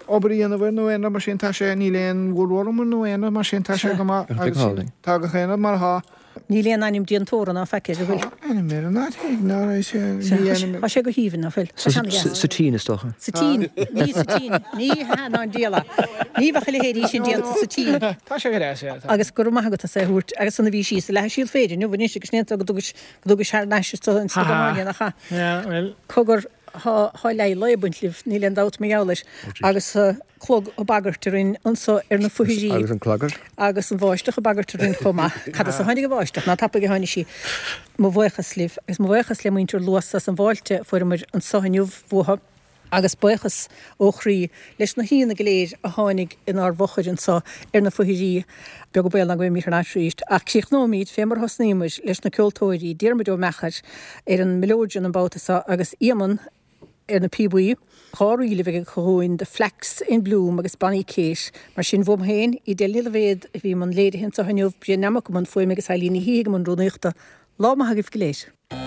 [SPEAKER 9] obair a dhéanamh air nó aon rud mar sin, tá sé, níl aon woodworm air nó aon rud mar sin, tá sé go maith agus tá gach aon rud mar atá.
[SPEAKER 1] Níl aon ainm déantóra ná faic air, an bhfuil?
[SPEAKER 9] Tá ainm air an áit éigin, ná raibh sé, ní ainm.
[SPEAKER 1] Tá sé go haoibhinn, ná fuil? Tá sé an-deas.
[SPEAKER 12] Sa tSín, is dócha.
[SPEAKER 1] Sa tSín, ní sa tSín, ní hea ná an diabhal é. Ní bheadh a leithéidí sin déanta sa tSín.
[SPEAKER 9] Tá sé go deas, yeah, tá.
[SPEAKER 1] Agus go raibh maith agat as é a thabhairt agus san a bhí sí sa leath síol féir inniu anois agus ní go dtugais, go dtugais thar n-ais is tu ins na Gáinne, nach ea?
[SPEAKER 9] Yeah, well.
[SPEAKER 1] Cogar. Tá leath lae ag baint libh, níl aon dabht mar gheall air, agus clog ag bagairt orainn anso ar na foichirí.
[SPEAKER 12] Agus an clagar.
[SPEAKER 1] Agus an bháisteach ag bagairt orainn chomh maith. Cad as a tháinig an bháisteach? Ná tapaidh a tháinig sí. Mo bhuíochas libh, agus mo bhuíochas le muintir Luasa as an bhfáilte a fuaireamair anso inniu uathu. Agus buíochas ó chroí leis na haíonna go léir a tháinig inár bhfochair anso ar na foichirí. Beag an baol ná go mbeimid thar n-ais arís. Ach críochnóimid fé mar a thosnaíomair, leis na ceoltóirí, Diarmuid Ó Meachair ar an mileoidean an babhta seo agus Éamonn ar na píobaí. 2 ríl a bheidh acu dhúinn, The Flax in Bloom agus Bonny Kate. Mar sin, uaim féin, Edel Ní Loibhéad, a bhí i mbun léirithe anso inniu, Brian Nammock i mbun fuaime agus Eileen Ní hAodha i mbun rúnaíochta. Lá maith agaibh go léir.